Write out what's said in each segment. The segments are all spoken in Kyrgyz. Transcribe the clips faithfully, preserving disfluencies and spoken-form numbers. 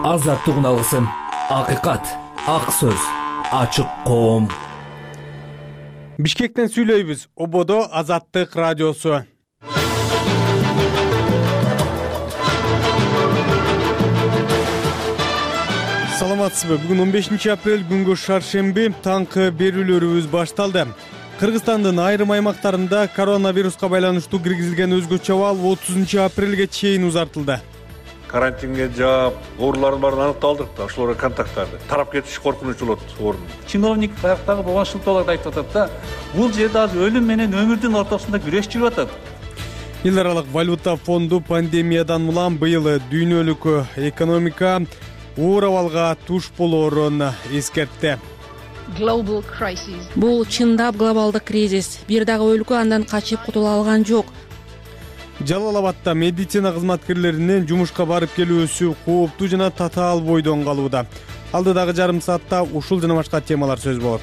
Азаттык алгысым, акыйкат, ак сөз, ачык коом. Бишкектен сүйлөйбүз. Ободо Азаттык радиосу. Саламатсызбы? Бүгүн он бешинчи апрель, күнгө шаршемби, таңкы берүүлөрүбүз башталды. Кыргызстандын айрым аймактарында коронавируска байланыштуу киргизилген өзгөчө абал отузунчу апрелге чейин узартылды. Карантинге жаап, оорулардын баарын аныкталдык да, ошолорго контакттарды тарап кетиш коркунуч болот орун. Чиновник баягы болгон шылтоолорду айтып атат да, бул жерде азыр өлүм менен өмүрдүн ортосунда күрөш жүрүп атат. Эл аралык валюта фонду пандемиядан улам быйыл дүйнөлүк экономика оор абалга туш болоорун эскертти. Бул чындап глобалдык кризис. Бир дагы өлкө андан качып кутула алган жок. Жалал Абадта медицина кызматкерлеринин жумушка барып келүүсү кооптуу жана татаал бойдон калууда. Алдыдагы жарым саатта ушул жана башка темалар сөз болот.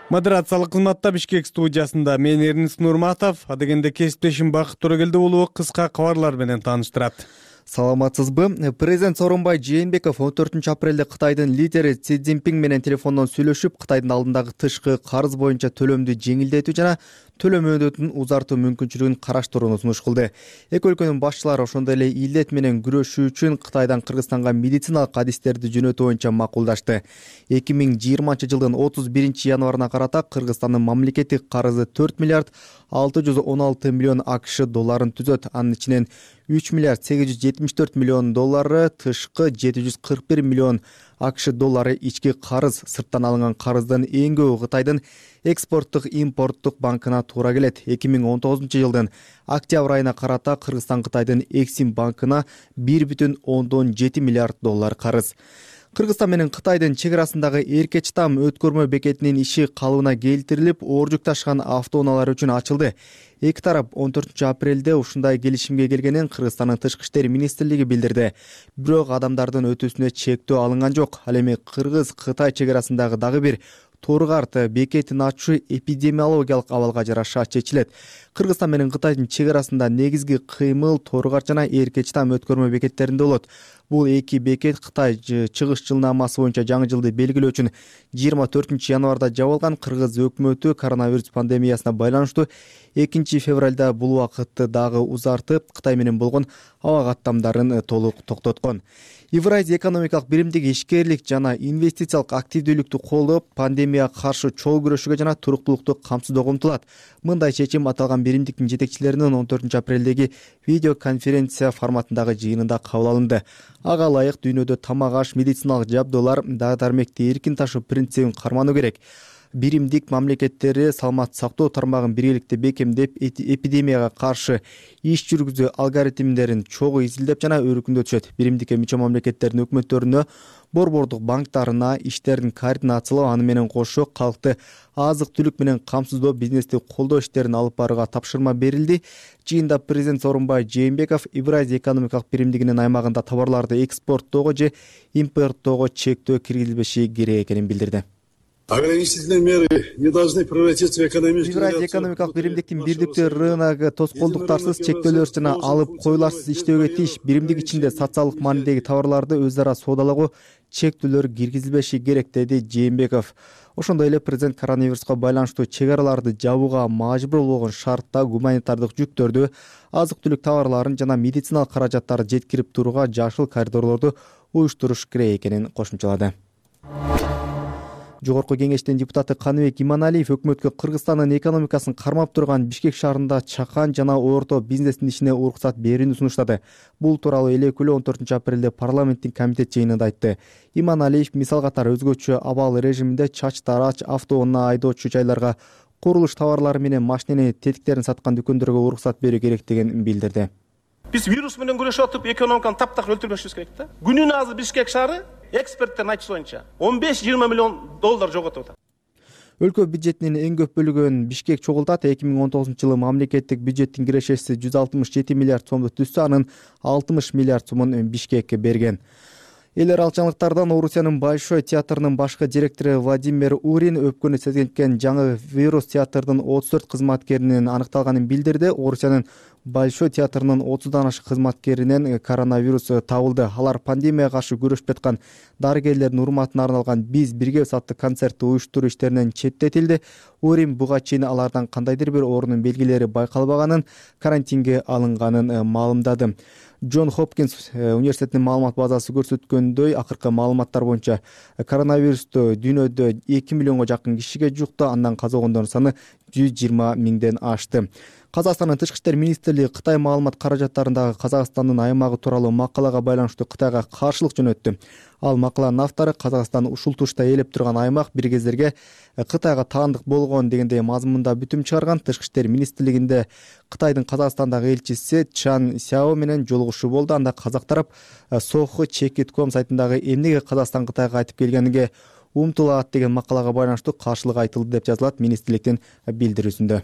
Модерациялык кызматта Бишкек студиясында мен Эрнис Нурматов, адегенде кесиптешим Бакыт Төрөгелди уулу кыска кабарлар менен тааныштырат. Саламатсызбы? Президент Сооронбай Жээнбеков он төртүнчү апрелде Кытайдын лидери Си Цзиньпин менен телефондон сүйлөшүп, Кытайдын алдындагы тышкы карыз боюнча төлөмдү жеңилдетүү жана төлөм мөөнөтүн узартуу мүмкүнчүлүгүн караштырууну сунуш кылды. Эки өлкөнүн башчылары ошондой эле илдет менен күрөшүү үчүн Кытайдан Кыргызстанга медициналык адистерди жөнөтүү боюнча макулдашты. эки миң жыйырманчы жылдын отуз биринчи январына карата Кыргызстандын мамлекеттик карызы төрт миллиард алты жүз он алты миллион АКШ долларын түзөт. Анын ичинен үч миллиард сегиз жүз жетимиш төрт миллион доллары тышкы, жети жүз кырк бир миллион АКШ доллары ички карыз. Сырттан алынган карыздын эң көбү Кытайдын экспорттук импорттук банкына туура келет. эки миң он тогузунчу жылдын октябрь айына карата Кыргызстан Кытайдын Эксим банкына бир бүтүн ондон жети миллиард доллар карыз. Кыргызстан менен Кытайдын чек арасындагы Эркечтам өткөрмө бекетинин иши калыбына келтирилип, оор жүк ташыган автоунаалар үчүн ачылды. Эки тарап он төртүнчү апрелде ушундай келишимге келгенин Кыргызстандын Тышкы иштер министрлиги билдирди. Бирок адамдардын өтүүсүнө чектөө алынган жок. Ал эми Кыргыз-Кытай чек арасындагы дагы бир Торгарт бекетин ачуу эпидемиологиялык абалга жараша чечилет. Кыргызстан менен Кытайдын чек арасында негизги кыймыл Торгарт жана Эркечтам өткөрмө бекеттеринде болот. Бул эки бекет Кытай чыгыш жылнамасы боюнча жаңы жылды белгилөө үчүн жыйырма төртүнчү январда жабылган. Кыргыз өкмөтү коронавирус пандемиясына байланыштуу экинчи февралда бул убакытты дагы узартып, Кытай менен болгон аба каттамдарын толук токтоткон. Евразия экономикалык биримдиги ишкерлик жана инвестициялык активдүүлүктү колдоп, пандемияга каршы чогуу күрөшүүгө жана туруктуулукту камсыздоого умтулат. Мындай чечим аталган биримдиктин жетекчилеринин он төртүнчү апрелдеги видеоконференция форматындагы жыйынында кабыл алынды. Ага ылайык дүйнөдө тамак аш, медициналык жабдуулар, дары-дармекти эркин ташуу принцибин кармануу керек. Биримдик мамлекеттери саламат сактоо тармагын биргеликте бекемдеп, эпидемияга каршы иш жүргүзүү алгоритмдерин чогуу изилдеп жана өркүндөтүшөт. Биримдикке мүчө мамлекеттердин өкмөттөрүнө, борбордук банктарына иштерин координациялоо, аны менен кошо калкты азык-түлүк менен камсыздоо, бизнести колдоо иштерин алып барууга тапшырма берилди. Жыйында президент Сооронбай Жээнбеков Евразия экономикалык биримдигинин аймагында товарларды экспорттоого же импорттоого чектөө киргизилбеши керек экенин билдирди. Ограничительные меры не должны превратиться в экономическую. Евразия экономикалык биримдиктин бирдиктүү рыногу тоскоолдуктарсыз, чектөөлөрсүз жана алып коюларсыз иштөөгө тийиш. Биримдик ичинде социалдык маанидеги товарларды өз ара соодалагуу чектөөлөр киргизилбеши керек, деди Жээнбеков. Ошондой эле президент коронавируска байланыштуу чек араларды жабууга мажбур болгон шартта гуманитардык жүктөрдү, азык-түлүк товарларын жана медициналык каражаттарды жеткирип турууга жашыл коридорлорду уюштуруш керек экенин кошумчалады. Жогорку кеңештин депутаты Каныбек Иманалиев өкмөткө Кыргызстандын экономикасын кармап турган Бишкек шаарында чакан жана орто бизнестин ишине уруксат берүүнү сунуштады. Бул тууралуу элекүүлө он төртүнчү апрелде парламенттин комитет жыйынында айтты. Иманалиев мисал катары өзгөчө абал режиминде чач тарач, автоунаа айдоочу жайларга, курулуш товарлары менен машиненин тетиктерин саткан дүкөндөргө уруксат берүү керектигин билдирди. Биз вирус менен күрөшүп атып, экономиканы таптак өлтүрбөшүбүз керек да. Күнүнө азыр Бишкек шаары эксперттердин айтышы боюнча он беш жыйырма миллион доллар жоготуп атат. Өлкө бюджетинин эң көп бөлүгүн Бишкек чогултат. эки миң он тогузунчу жылы мамлекеттик бюджеттин кирешеси жүз алтымыш жети миллиард сомду түзсө, анын алтымыш миллиард сомун Бишкекке берген. Эл аралык жаңылыктардан Орусиянын Большой театрынын башкы директору Владимир Урин өпкөнү сезген жаңы вирус театрдын отуз төрт кызматкеринин аныкталганын билдирди. Орусиянын Большой театрынын отуздан ашык кызматкеринен коронавирус табылды. Алар пандемияга каршы күрөшүп жаткан дарыгерлердин урматына арналган «Биз биргебиз» аттуу концертти уюштуруу иштеринен четтетилди. Урин буга чейин алардан кандайдыр бир оорунун белгилери байкалбаганын, карантинге алынганын маалымдады. Джон Хопкинс университетинин маалымат базасы көрсөткөндөй, акыркы маалыматтар боюнча коронавирусту дүйнөдө эки миллионго жакын кишиге жукту, андан каза болгондордун саны жүз жыйырма миңден ашты. Казакстандын тышкы иштер министрлиги Кытай маалымат каражаттарындагы Казакстандын аймагы тууралуу макалага байланыштуу Кытайга каршылык жөнөттү. Ал макаланын автору Казакстан ушул тушта ээлеп турган аймак бир кездерге Кытайга таандык болгон дегендей мазмунда бүтүм чыгарган. Тышкы иштер министрлигинде Кытайдын Казакстандагы элчиси Чан Сяо менен жолугушуу болду. Анда казак тарап Соху чекит точка ком сайтындагы эмнеге Казакстан Кытайга кайтып келгениге умтулат деген макалага байланыштуу каршылык айтылды деп жазылат министрликтин билдирүүсүндө.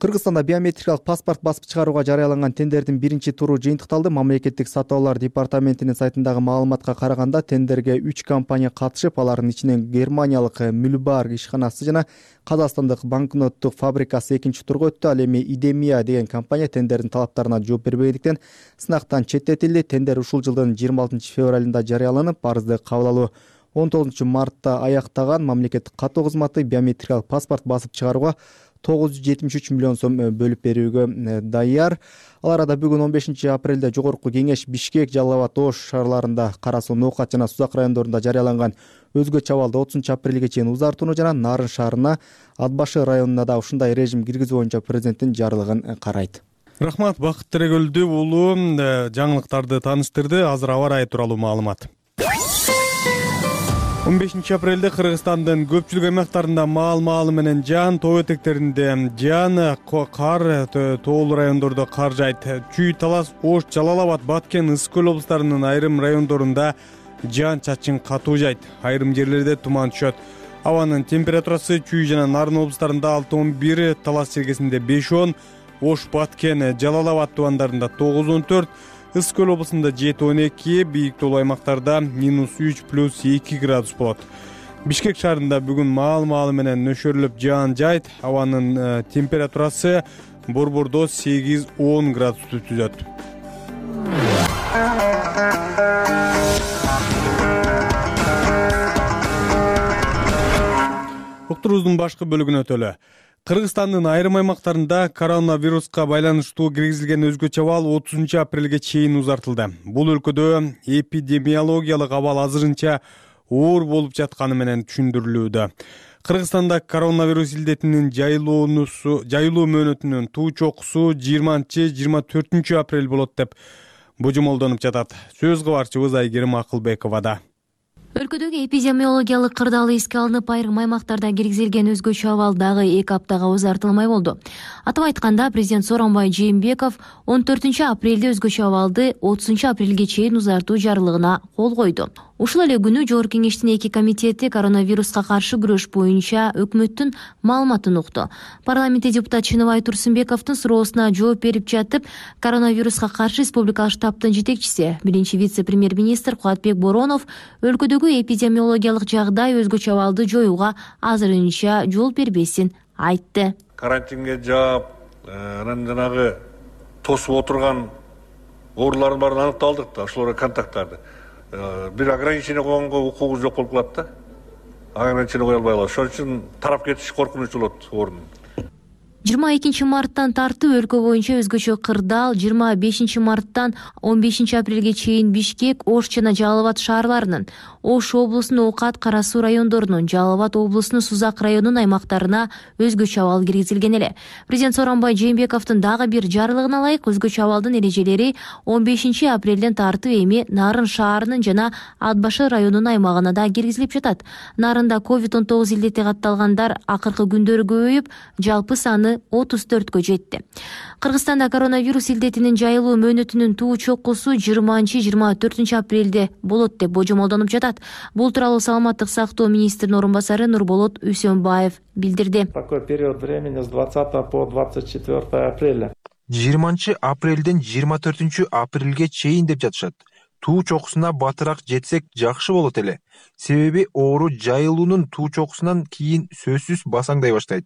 Кыргызстанда биометрикалык паспорт басып чыгарууга жарыяланган тендердин биринчи туру жыйынтыкталды. Мамлекеттик сатуулар департаментинин сайтындагы маалыматка караганда тендерге үч компания катышып, алардын ичинен германиялык Мюльбар ишканасы жана казакстандык банкноттук фабрикасы экинчи турга өттү. Ал эми Идемия деген компания тендердин талаптарына жооп бербегендиктен сынактан четтетилди. Тендер ушул жылдын жыйырма алтынчы февралында жарыяланып, арызды кабыл алуу он тогузунчу мартта аяктаган. Мамлекеттик каттоо кызматы биометрикалык паспорт басып чыгарууга тогуз жүз жетимиш үч миллион сом бөлүп берүүгө даяр. Ал арада бүгүн он бешинчи апрелде Жогорку Кеңеш Бишкек, Жалал Абад, Ош шаарларында, Кара Суу, Ноокат жана Сузак райондорунда жарыяланган өзгөчө абалды отузунчу апрелге чейин узартууну жана Нарын шаарына, Ат башы районуна да ушундай режим киргизүү боюнча президенттин жарлыгын карайт. Рахмат, Бакыт Төрөгөлдү уулу жаңылыктарды тааныштырды. Азыр аба ырайы тууралуу маалымат. он бешинчи апрелде Кыргызстандын көпчүлүк аймактарында маал-маалы менен жаан, тоо этектеринде жаан, кар, тоолуу райондордо кар жайт. Чүй, Талас, Ош, Жалал Абад, Баткен, Ысык көл облустарынын айрым райондорунда жаан-чачын катуу жайт. Айрым жерлерде туман түшөт. Абанын температурасы Чүй жана Нарын облустарында алты он бир, Талас чергесинде беш он, Ош, Баткен, Жалал Абад тубандарында тогуз он төрт, Ысык көл облусунда жети он эки, бийик тоолуу аймактарда минус үч плюс эки градус болот. Бишкек шаарында бүгүн маал-маалы менен нөшөрлөп жаан жайт. Абанын температурасы борбордо сегиз он градусту түзөт. Уктуруубуздун башкы бөлүгүнө өтөлү. Кыргызстандын айрым аймактарында коронавируска байланыштуу киргизилген өзгөчө абал отузунчу апрелге чейин узартылды. Бул өлкөдө эпидемиологиялык абал азырынча оор болуп жатканы менен түшүндүрүлүүдө. Кыргызстанда коронавирус илдетинин жайылуусу, жайылуу мөөнөтүнүн туу чокусу жыйырманчы жыйырма төртүнчү апрель болот деп божомолдонуп жатат. Сөз кабарчыбыз Айгерим Акылбековада. Өлкөдөгү эпидемиологиялык кырдаалы эске алынып, айрым аймактарда киргизилген өзгөчө абал дагы эки аптага узартылмай болду. Атап айтканда, президент Сооронбай Жээнбеков он төртүнчү апрелде өзгөчө абалды отузунчу апрелге чейин узартуу жарлыгына кол койду. Ушул эле күнү Жогорку Кеңештин эки комитети коронавируска каршы күрөш боюнча өкмөттүн маалыматын укту. Парламентте депутат Чыныбай Турсунбековдун суроосуна жооп берип жатып, коронавируска каршы республикалык штабтын жетекчиси, биринчи вице-премьер-министр Кубатбек Боронов өлкөдөгү эпидемиологиялык жагдай өзгөчө абалды жоюуга азырынча жол бербесин айтты. Карантинге жаап, анан жанагы тосуп отурган оорулардын баарын аныкталдык да, ошолорго контакттарды. Бир ограничение койгонго укугубуз жок болуп калат да. Ограничение кое албай калат. Ошон үчүн тарап кетиш коркунуч болот оорунун. жыйырма экинчи марттан тартып өлкө боюнча өзгөчө кырдаал, жыйырма бешинчи марттан он бешинчи апрелге чейин Бишкек, Ош жана Жалал Абад шаарларынын, Ош облусунун Ноокат, Кара Суу райондорунун, Жалал Абад облусунун Сузак районунун аймактарына өзгөчө абал киргизилген эле. Президент Сооронбай Жээнбековдун дагы бир жарлыгына ылайык өзгөчө абалдын эрежелери он бешинчи апрелден тартып эми Нарын шаарынын жана Ат башы районунун аймагына да киргизилип жатат. Нарында ковид он тогуз илдети катталгандар акыркы күндөрү көбөйүп, жалпы саны отуз төрткө жетти. Кыргызстанда коронавирус илдетинин жайылуу мөөнөтүнүн туу чокусу жыйырманчы жыйырма төртүнчү апрелде болот деп божомолдонуп жатат. Бул тууралуу саламаттык сактоо министринин орун басары Нурболот Үсөнбаев билдирди. Такой период времени с двадцатого по двадцать четвёртое апреля. жыйырманчы апрелден жыйырма төртүнчү апрелге чейин деп жатышат. туу чокусуна батыраак жетсек жакшы болот эле. Себеби оору жайылуунун туу чокусунан кийин сөзсүз басаңдай баштайт.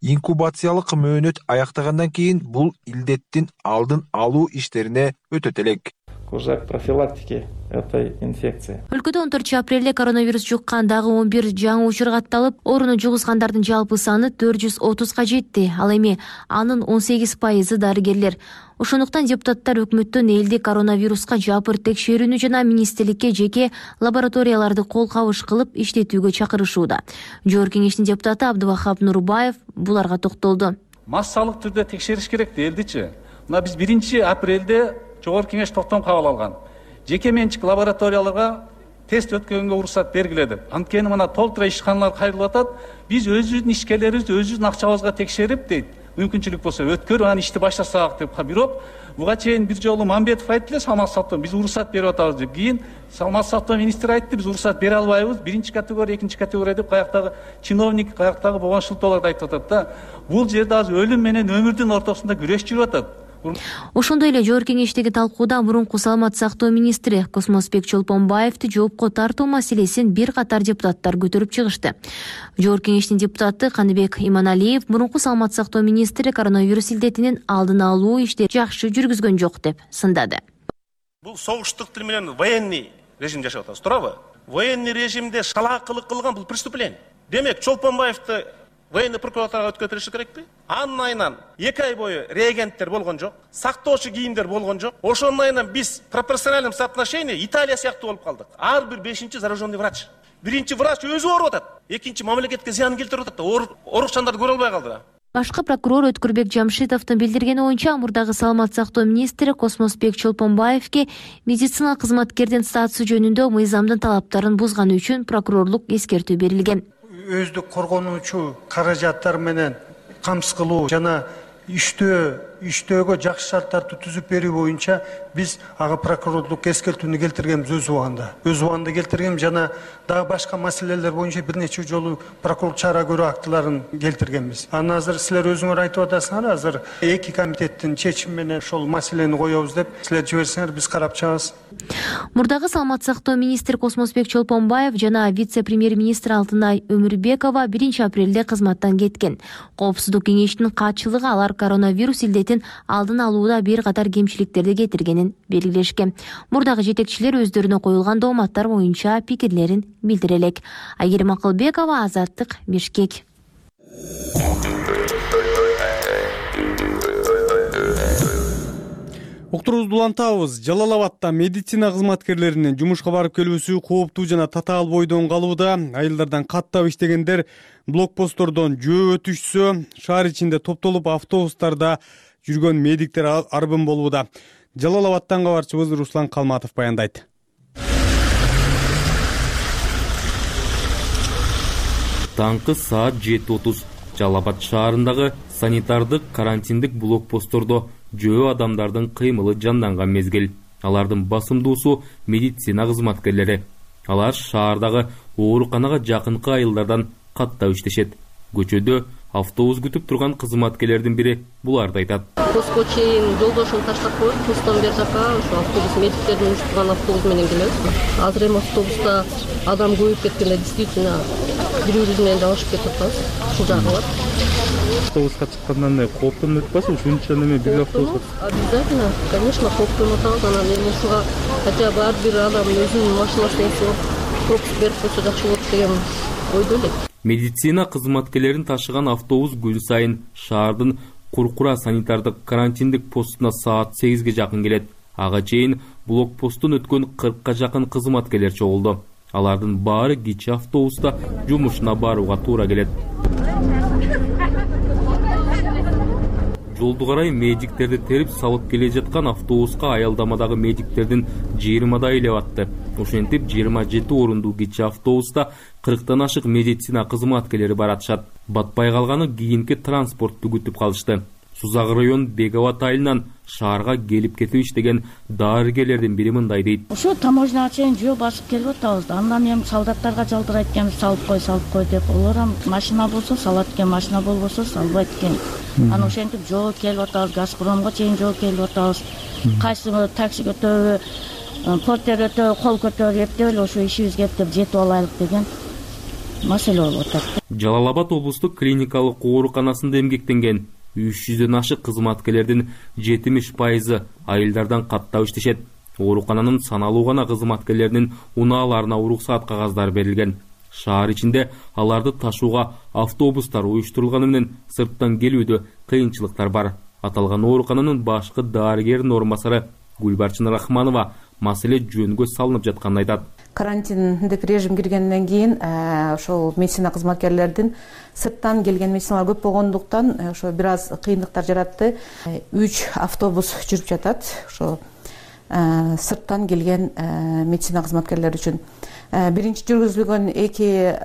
Инкубациялык мөөнөт аяктагандан кийин бул илдеттин алдын алуу иштерине өтөт элек. Уже к профилактике этой инфекции. Өлкөдө он төртүнчү апрелде коронавирус жуккан дагы он бир жаңы учур катталып, ооруну жугузгандардын жалпы саны төрт жүз отузга жетти. Ал эми анын он сегиз пайызы дарыгерлер. Ошондуктан депутаттар өкмөттөн элди коронавируска жапыр текшерүүнү жана министрликке жеке лабораторияларды кол кабыш кылып иштетүүгө чакырышууда. Жогорку кеңештин депутаты Абдывахап Нурбаев буларга токтолду. Массалык түрдө текшериш керек элдичи. Мына биз биринчи апрелде Жогорку кеңеш токтом кабыл алган. Жеке менчик лабораторияларга тест өткөнгө уруксат бергиле деп. Анткени мына толтура ишканалар кайрылып атат. Биз өзүбүздүн ишкерлерибизди өзүбүздүн акчабызга текшерип дейт. Мүмкүнчүлүк болсо өткөрүп анан ишти баштасак деп. Бирок буга чейин бир жолу Мамбетов айтты эле салмак сактоо биз уруксат берип атабыз деп. Кийин салмак сактоо министри айтты биз уруксат бере албайбыз. Биринчи категория, экинчи категория деп каяктагы чиновник, каяктагы болгон шылтоолорду айтып атат да. Бул жерде азыр өлүм менен өмүрдүн ортосунда күрөш жүрүп атат. Ошондой эле жогорку кеңештеги талкууда мурунку саламат сактоо министри Космосбек Чолпонбаевди жоопко тартуу маселесин бир катар депутаттар көтөрүп чыгышты. Жогорку кеңештин депутаты Каныбек Иманалиев мурунку саламат сактоо министри коронавирус илдетинин алдын алуу иштерин жакшы жүргүзгөн жок деп сындады. Бул согуштук тил менен военный режим жашап атабыз, туурабы? Военный режимде шалаакылык кылган бул преступление. Демек, Чолпонбаевди военный прокуратурага өткөрүш керекпи? Анын айынан эки ай бою реагенттер болгон жок, сактоочу кийимдер болгон жок. Ошонун айынан биз пропорциональном соотношении Италия сыяктуу болуп калдык. Ар бир бешинчи зараженный врач. Биринчи врач өзү ооруп атат, экинчи мамлекетке зыян келтирип атат да, оорукчандарды көрө албай калды да. Башкы прокурор Өткүрбек Жамшитовдун билдиргени боюнча мурдагы саламат сактоо министри Космосбек Чолпонбаевге медицина кызматкердин статусу жөнүндө мыйзамдын талаптарын бузганы үчүн прокурорлук эскертүү берилген. Өздүк коргонуучу каражаттар менен камсыз кылуу жана иштөө иштөөгө жакшы шарттарды түзүп берүү боюнча биз ага прокурорлук эскертүүнү келтиргенбиз өз убагында. Өз убагында келтиргем жана дагы башка маселелер боюнча бир нече жолу прокурорлук чара көрүү актыларын келтиргенбиз. Анан азыр силер өзүңөр айтып атасыңар, азыр эки комитеттин чечими менен ошол маселени коебуз деп силер жиберсеңер биз карап чыгабыз. Мурдагы саламат сактоо министри Космосбек Чолпонбаев жана вице-премьер-министр Алтынай Өмүрбекова биринчи апрелде кызматтан кеткен. Коопсуздук кеңешинин катчылыгы алар коронавирус илдетин алдын алууда бир катар кемчиликтерди кетиргенин белгилешкен. Мурдагы жетекчилер өздөрүнө коюлган дооматтар боюнча пикирлерин билдире элек. Айгерим Акылбекова, Азаттык, Бишкек. Уктурубузду улантабыз. Жалал Абадта медицина кызматкерлеринин жумушка барып келүүсү кооптуу жана татаал бойдон калууда. Айылдардан каттап иштегендер блокпосттордон жөө өтүшсө, шаар ичинде топтолуп автобустарда жүргөн медиктер арбын болууда. Жалал Абадтан кабарчыбыз Руслан Калматов баяндайт. Таңкы саат жети отуз Жалал Абад шаарындагы санитардык карантиндик блокпосттордо жөө адамдардын кыймылы жанданган мезгил. Алардын басымдуусу медицина кызматкерлери. Алар шаардагы ооруканага жакынкы айылдардан каттап иштешет. Көчөдө автобус күтүп турган кызматкерлердин бири буларды айтат. Постко чейин жолдошун таштап коюп, постон бери жака ошо автобус медиктердин уюштурган автобус менен келебиз. Азыр эми автобуста адам көбөйүп кеткенде действительно бирөөбүз менен жабышып кетип атабыз. Ушул жагы бар. Автобуска чыккандан кооптонуп атпайсызбы? Ушунча неме бир автобуска? Обязательно, конечно, кооптонуп атабыз. Анан эми ушуга хотя бы ар бир адам өзүнүн машинасына пропуск берип койсо жакшы болот деген ойдо элек. Медицина кызматкерлерин ташыган автобус күн сайын шаардын Куркура санитардык карантиндик постуна саат сегизге жакын келет. Ага чейин блокпосттун өткөн кыркка жакын кызматкерлер чогулду. Алардын баары кичи автобуста жумушуна барууга туура келет. Жолду карай медиктерди терип салып келе жаткан автобуска аялдамадагы медиктердин жыйырмадай эле батты. Ошентип жыйырма жети орундуу кичи автобуста кырктан ашык медицина кызматкерлери баратышат. Батпай калганы кийинки транспортту күтүп калышты. Сузак район Беговат айылынан шаарга келип кетип иштеген дарыгерлердин бири мындай дейт. Ошо таможняга чейин жөө басып келип атабыз. Андан эми солдаттарга жалдырайт экенбиз, салып кой, салып кой деп. Олар ham машина болсо салат экен, машина болбосо салбайт экен. Анан ошентип жөө келип атабыз, Газпромго чейин жөө келип атабыз. Кайсы такси көтөбү, портер өтө кол көтөрүп эптеп эле ошо ишибизге эптеп жетип алайлык деген маселе болуп атат. Жалал Абад облустук клиникалык ооруканасында эмгектенген үч жүздөн ашык кызматкерлердин жетимиш пайызы айылдардан каттап иштешет. Оорукананын саналуу гана кызматкерлеринин унааларына уруксаат кагаздары берилген. Шаар ичинде аларды ташууга автобустар уюштурулганы менен сырттан келүүдө кыйынчылыктар бар. Аталган оорукананын башкы дарыгеринин орун басары Гүлбарчын Рахманова маселе жөнгө салынып жатканын айтат. Карантиндик режим киргенден кийин ошол медицина кызматкерлердин сырттан келген медициналар көп болгондуктан ошо бир аз кыйындыктар жаратты. үч автобус жүрүп жатат ошо сырттан келген медицина кызматкерлери үчүн. Биринчи жүргүзүлгөн эки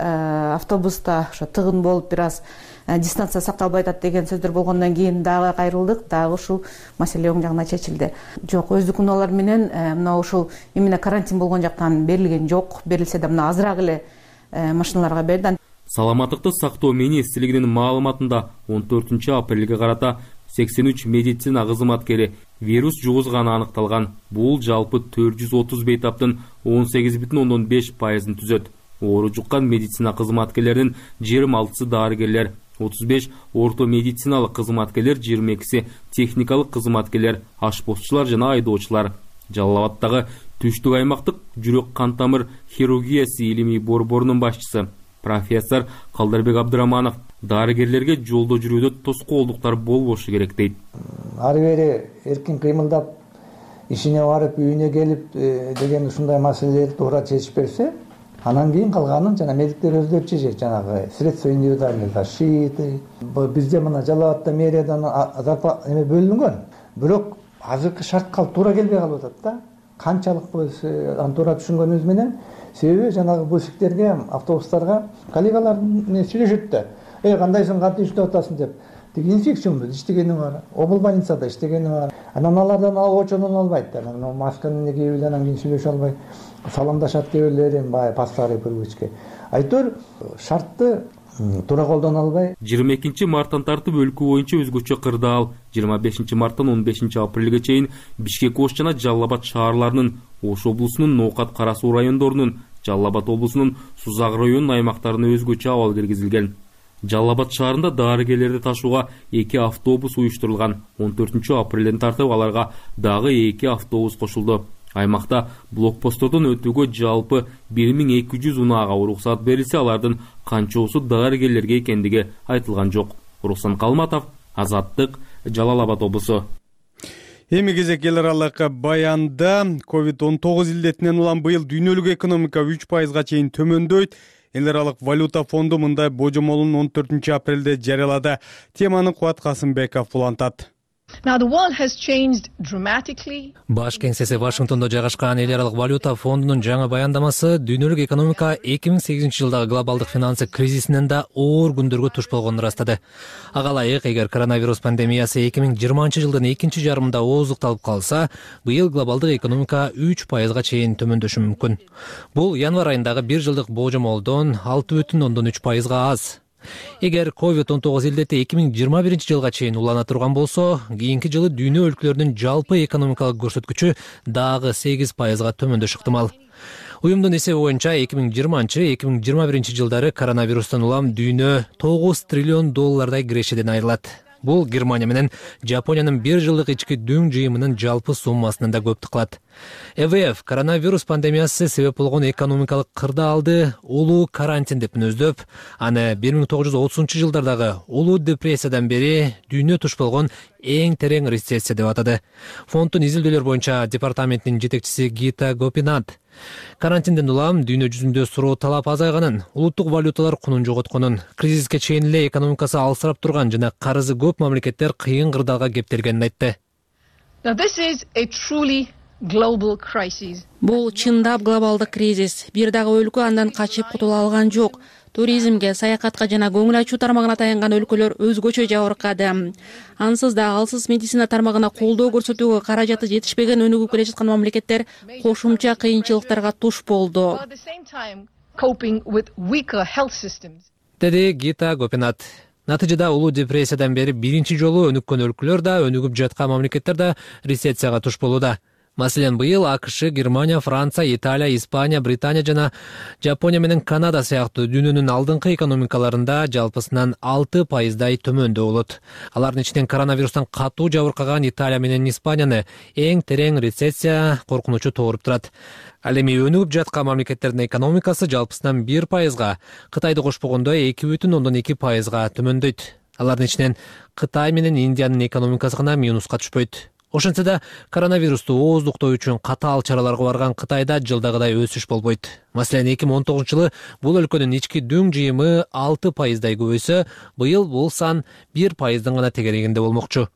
автобуста ошо тыгын болуп бир аз дистанция сакталбай атат деген сөздөр болгондон кийин дагы кайрылдык, дагы ушул маселе оң жагына чечилди. Жок, өздүк унаалар менен мына ушул именно карантин болгон жактан берилген жок, берилсе да мына азыраак эле машиналарга берди. Саламаттыкты сактоо министрлигинин маалыматында он төртүнчү апрелге карата сексен үч медицина кызматкери вирус жугузганы аныкталган. Бул жалпы төрт жүз отуз бейтаптын он сегиз бүтүн ондон беш пайызын түзөт. Оору жуккан медицина кызматкерлеринин жыйырма алтысы дарыгерлер, отуз беш орто медициналык кызматкерлер, жыйырма экиси техникалык кызматкерлер, ашпозчулар жана айдоочулар. Жалал Абадтагы түштүк аймактык жүрөк кан тамыр хирургиясы илимий борборунун башчысы профессор Калдарбек Абдыраманов дарыгерлерге жолдо жүрүүдө тоскоолдуктар болбошу керек дейт. Ары бери эркин кыймылдап, ишине барып, үйүнө келип деген ушундай маселелерди туура чечип берсе, анан кийин калганын жана медиктер өздөрү чечет, жанагы средства индивидуальной защиты. Бизде мына Жалал Абадта мэриядан зарплата эме бөлүнгөн. Бирок азыркы шартка туура келбей калып атат да. Канчалык биз аны туура түшүнгөнүбүз менен, себеби жанагы бусиктерге, автобустарга коллегалар сүйлөшөт да. Эй, кандайсың, кантип иштеп атасың деп. Тиги инфекциямды иштегени бар, обул больницада иштегени бар. Анан алардан очонун албайт. Анан масканы кийип эле анан кийин сүйлөшө албай саламдашат кээ бирлери, бай паставый привычка. Айтор шартты туура колдоно албай. жыйырма экинчи марттан тартып өлкө боюнча өзгөчө кырдаал, жыйырма бешинчи марттан он бешинчи апрелге чейин Бишкек, Ош жана Жалал Абад шаарларынын, Ош облусунун Ноокат, Кара Суу райондорунун, Жалал Абад облусунун Сузак районунун аймактарына өзгөчө абал киргизилген. Жалал Абад шаарында дарыгерлерди ташууга эки автобус уюштурулган. он төртүнчү апрелден тартып аларга дагы эки автобус кошулду. Аймакта блокпосттордон өтүүгө жалпы бир миң эки жүз унаага уруксаат берилсе, алардын канчоосу дарыгерлерге экендиги айтылган жок. Руслан Калматов, Азаттык, Жалал Абад облусу. Эми кезек эл аралык баянда ковид он тогуз илдетинен улам быйыл дүйнөлүк экономика үч пайызга чейин төмөндөйт. Эл аралык валюта фонду мындай божомолун он төртүнчү апрелде жарыялады. Теманы Кубат Касымбеков улантат. Баш кеңсеси Вашингтондо жайгашкан эл аралык валюта фондунун жаңы баяндамасы дүйнөлүк экономика эки миң сегизинчи жылдагы глобалдык финансы кризисинен да оор күндөргө туш болгонун ырастады. Ага ылайык, эгер коронавирус пандемиясы эки миң жыйырманчы жылдын экинчи жарымында ооздукталып калса, быйыл глобалдык экономика үч пайызга чейин төмөндөшү мүмкүн. Бул январь айындагы бир жылдык божомолдон алты бүтүн ондон үч пайызга аз. Эгер ковид он тогуз илдети эки миң жыйырма биринчи жылга чейин улана турган болсо, кийинки жылы дүйнө өлкөлөрүнүн жалпы экономикалык көрсөткүчү дагы сегиз пайызга төмөндөшү ыктымал. Уюмдун эсеби боюнча эки миң жыйырманчы — эки миң жыйырма биринчи жылдары коронавирустан улам дүйнө тогуз триллион доллардай кирешеден айрылат. Бул Германия менен Жапониянын бир жылдык ички дүң жыйымынын жалпы суммасынан да көп кылат. Э В Ф коронавирус пандемиясы себеп болгон экономикалык кырдаалды улуу карантин деп мүнөздөп, аны бир миң тогуз жүз отузунчу жылдардагы улуу депрессиядан бери дүйнө туш болгон эң терең рецессия деп атады. Фонддун изилдөөлөр боюнча департаментинин жетекчиси Гита Гопинат карантинден улам дүйнө жүзүндө суроо талап азайганын, улуттук валюталар кунун жоготконун, кризиске чейин эле экономикасы алсырап турган жана карызы көп мамлекеттер кыйын кырдаалга кептелгенин айтты. Бул чындап глобалдык кризис. Бир дагы өлкө андан качып кутула алган жок. Туризмге, саякатка жана көңүл ачуу тармагына таянган өлкөлөр өзгөчө жабыркады. Ансыз да алсыз медицина тармагына колдоо көрсөтүүгө каражаты жетишпеген өнүгүп келе жаткан мамлекеттер кошумча кыйынчылыктарга туш болду. Деди Гита Гопинат. Натыйжада улуу депрессиядан бери биринчи жолу өнүккөн өлкөлөр да, өнүгүп жаткан мамлекеттер да рецессияга туш болууда. Маселен, быйыл АКШ, Германия, Франция, Италия, Испания, Британия жана Жапония менен Канада сыяктуу дүйнөнүн алдыңкы экономикаларында жалпысынан алты пайыздай төмөндө болот. Алардын ичинен коронавирустан катуу жабыркаган Италия менен Испанияны эң терең рецессия коркунучу тооруп турат. Ал эми өнүгүп жаткан мамлекеттердин экономикасы жалпысынан бир пайызга, Кытайды кошпогондо эки бүтүн ондон эки пайызга төмөндөйт. Алардын ичинен Кытай менен Индиянын экономикасы гана минуска түшпөйт. Ошентсе да коронавирусту ооздуктоо үчүн катаал чараларга барган Кытайда жылдагыдай өсүш болбойт. Маселен, эки миң он тогузунчу жылы бул өлкөнүн ички дүң жыйымы алты пайыздай көбөйсө, быйыл бул сан бир пайыздын гана тегерегинде болмокчу.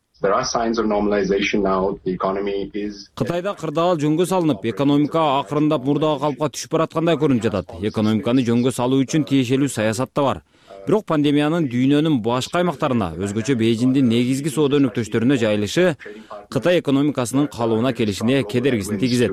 Кытайда кырдаал жөнгө салынып, экономика акырындап мурдагы калыпка түшүп бараткандай көрүнүп жатат. Экономиканы жөнгө салуу үчүн тиешелүү саясат да бар. Бирок пандемиянын дүйнөнүн башка аймактарына, өзгөчө Бейжиңдин негизги соода өнөктөштөрүнө жайылышы Кытай экономикасынын калыбына келишине кедергисин тийгизет,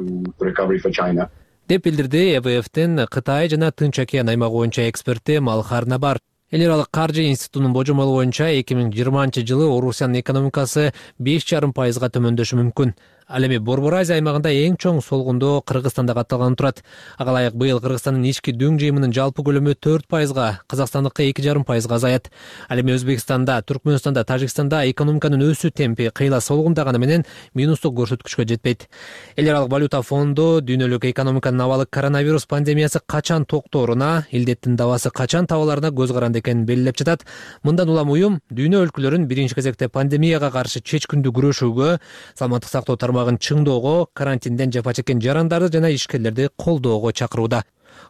деп билдирди Э В Ф'тин Кытай жана Тынч океан аймагы боюнча эксперти Малхар Набар. Эл аралык каржы институтунун божомолу боюнча эки миң жыйырманчы жылы Орусиянын экономикасы беш жарым пайызга төмөндөшү мүмкүн. Ал эми Борбор Азия аймагында эң чоң солгундоо Кыргызстанда катталган турат. Ага ылайык быйыл Кыргызстандын ички дүң жыйымынын жалпы көлөмү төрт пайызга, Казакстандыкы эки жарым пайызга азаят. Ал эми Өзбекстанда, Түркмөнстанда, Тажикстанда экономиканын өсүү темпи кыйла солгундаганы менен минустук көрсөткүчкө жетпейт. Эл аралык валюта фонду дүйнөлүк экономиканын абалы коронавирус пандемиясы качан токтооруна, илдеттин дабасы качан табыларына көз каранды экенин белгилеп жатат. Мындан улам уюм дүйнө өлкөлөрүн биринчи кезекте пандемияга каршы чечкиндүү күрөшүүгө, саламаттык сактоо тармагын чыңдоого, карантинден жапа чеккен жарандарды жана ишкерлерди колдоого чакырууда.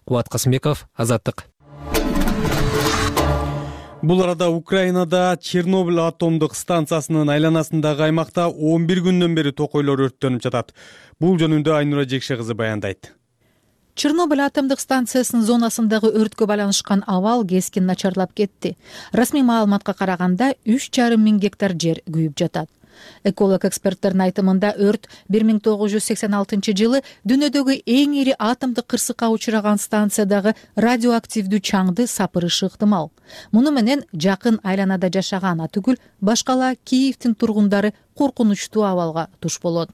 Кубат Касымбеков, Азаттык. Бул арада Украинада Чернобыль атомдук станциясынын айланасындагы аймакта он бир күндөн бери токойлор өрттөнүп жатат. Бул жөнүндө Айнура Жекше кызы баяндайт. Чернобыль атомдук станциясынын зонасындагы өрткө байланышкан абал кескин начарлап кетти. Расмий маалыматка караганда үч жарым миң гектар жер күйүп жатат. Эколог эксперттердин айтымында өрт бир миң тогуз жүз сексен алтынчы жылы дүйнөдөгү эң ири атомдук кырсыкка учураган станциядагы радиоактивдүү чаңды сапырышы ыктымал. Муну менен жакын айланада жашаган түгүл башкала Киевдин тургундары коркунучтуу абалга туш болот.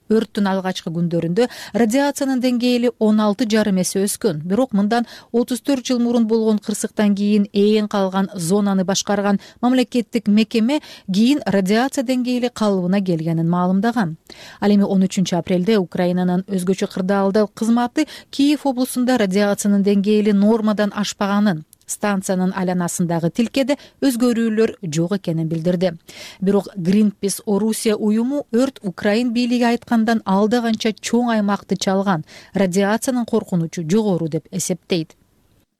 Өрттүн алгачкы күндөрүндө радиациянын деңгээли он алты жарым эсе өскөн. Бирок мындан отуз төрт жыл мурун болгон кырсыктан кийин ээн калган зонаны башкарган мамлекеттик мекеме кийин радиация деңгээли калыбына келгенин маалымдаган. Ал эми он үчүнчү апрелде Украинанын өзгөчө кырдаалдуу кызматы Киев облусунда радиациянын деңгээли нормадан ашпаганын, станциянын айланасындагы тилкеде өзгөрүүлөр жок экенин билдирди. Бирок Greenpeace Орусия уюму өрт Украин бийлиги айткандан алда канча чоң аймакты чалган, радиациянын коркунучу жогору деп эсептейт.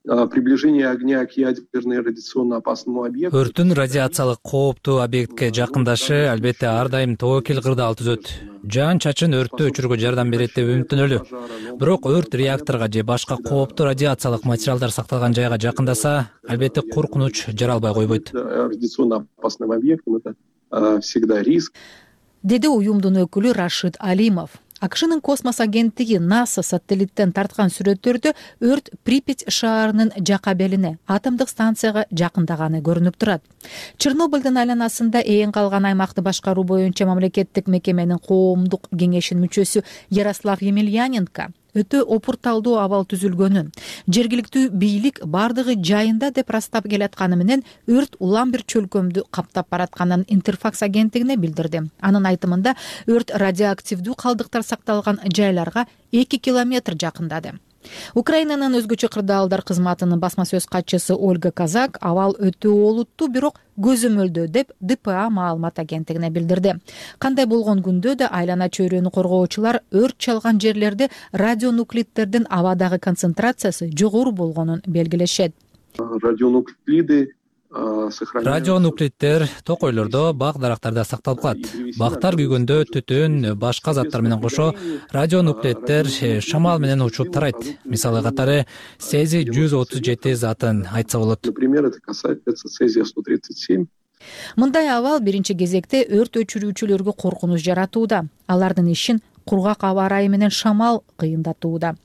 Приближение огня к ядерно радиационно опасному объекту. Өрттүн радиациялык кооптуу объектке жакындашы албетте ар дайым тобокел кырдаал түзөт. Жан чачын өрттү өчүрүүгө жардам берет деп үмүттөнөлү. Бирок өрт реакторго же башка кооптуу радиациялык материалдар сакталган жайга жакындаса, албетте коркунуч жаралбай койбойт. Радиационно опасным объектом это всегда риск. Деди уюмдун өкүлү Рашид Алимов. АКШнын космос агенттиги НАСА сателлиттен тарткан сүрөттөрдө өрт Припять шаарынын жака белине, атомдук станцияга жакындаганы көрүнүп турат. Чернобыльдын айланасында ээн калган аймакты башкаруу боюнча мамлекеттик мекеменин коомдук кеңешинин мүчөсү Ярослав Емельяненко өтө опурталдуу абал түзүлгөнүн, жергиликтүү бийлик бардыгы жайында деп растап келатканы менен өрт улам бир чөлкөмдү каптап баратканын Интерфакс агенттигине билдирди. Анын айтымында өрт радиоактивдүү калдыктар сакталган жайларга эки километр жакындады. Украинанын өзгөчө кырдаалдар кызматынын басма сөз катчысы Ольга Казак абал өтө олуттуу, бирок көзөмөлдөө деп Д П А маалымат агенттигине билдирди. Кандай болгон күндө да айлана чөйрөнү коргоочулар өрт чалган жерлерде радионуклидтердин абадагы концентрациясы жогору болгонун белгилешет. Радионуклиды Радионуклидтер токойлордо, бак дарактарда сакталып калат. Бактар күйгөндө түтүн, башка заттар менен кошо радионуклидтер шамал менен учуп тарайт. Мисалы катары цезий жүз отуз жети затын айтса болот. Например, это касается цезия сто тридцать семь. Мындай абал биринчи кезекте өрт өчүрүүчүлөргө коркунуч жаратууда. Алардын ишин кургак аба ырайы менен шамал кыйындатууда.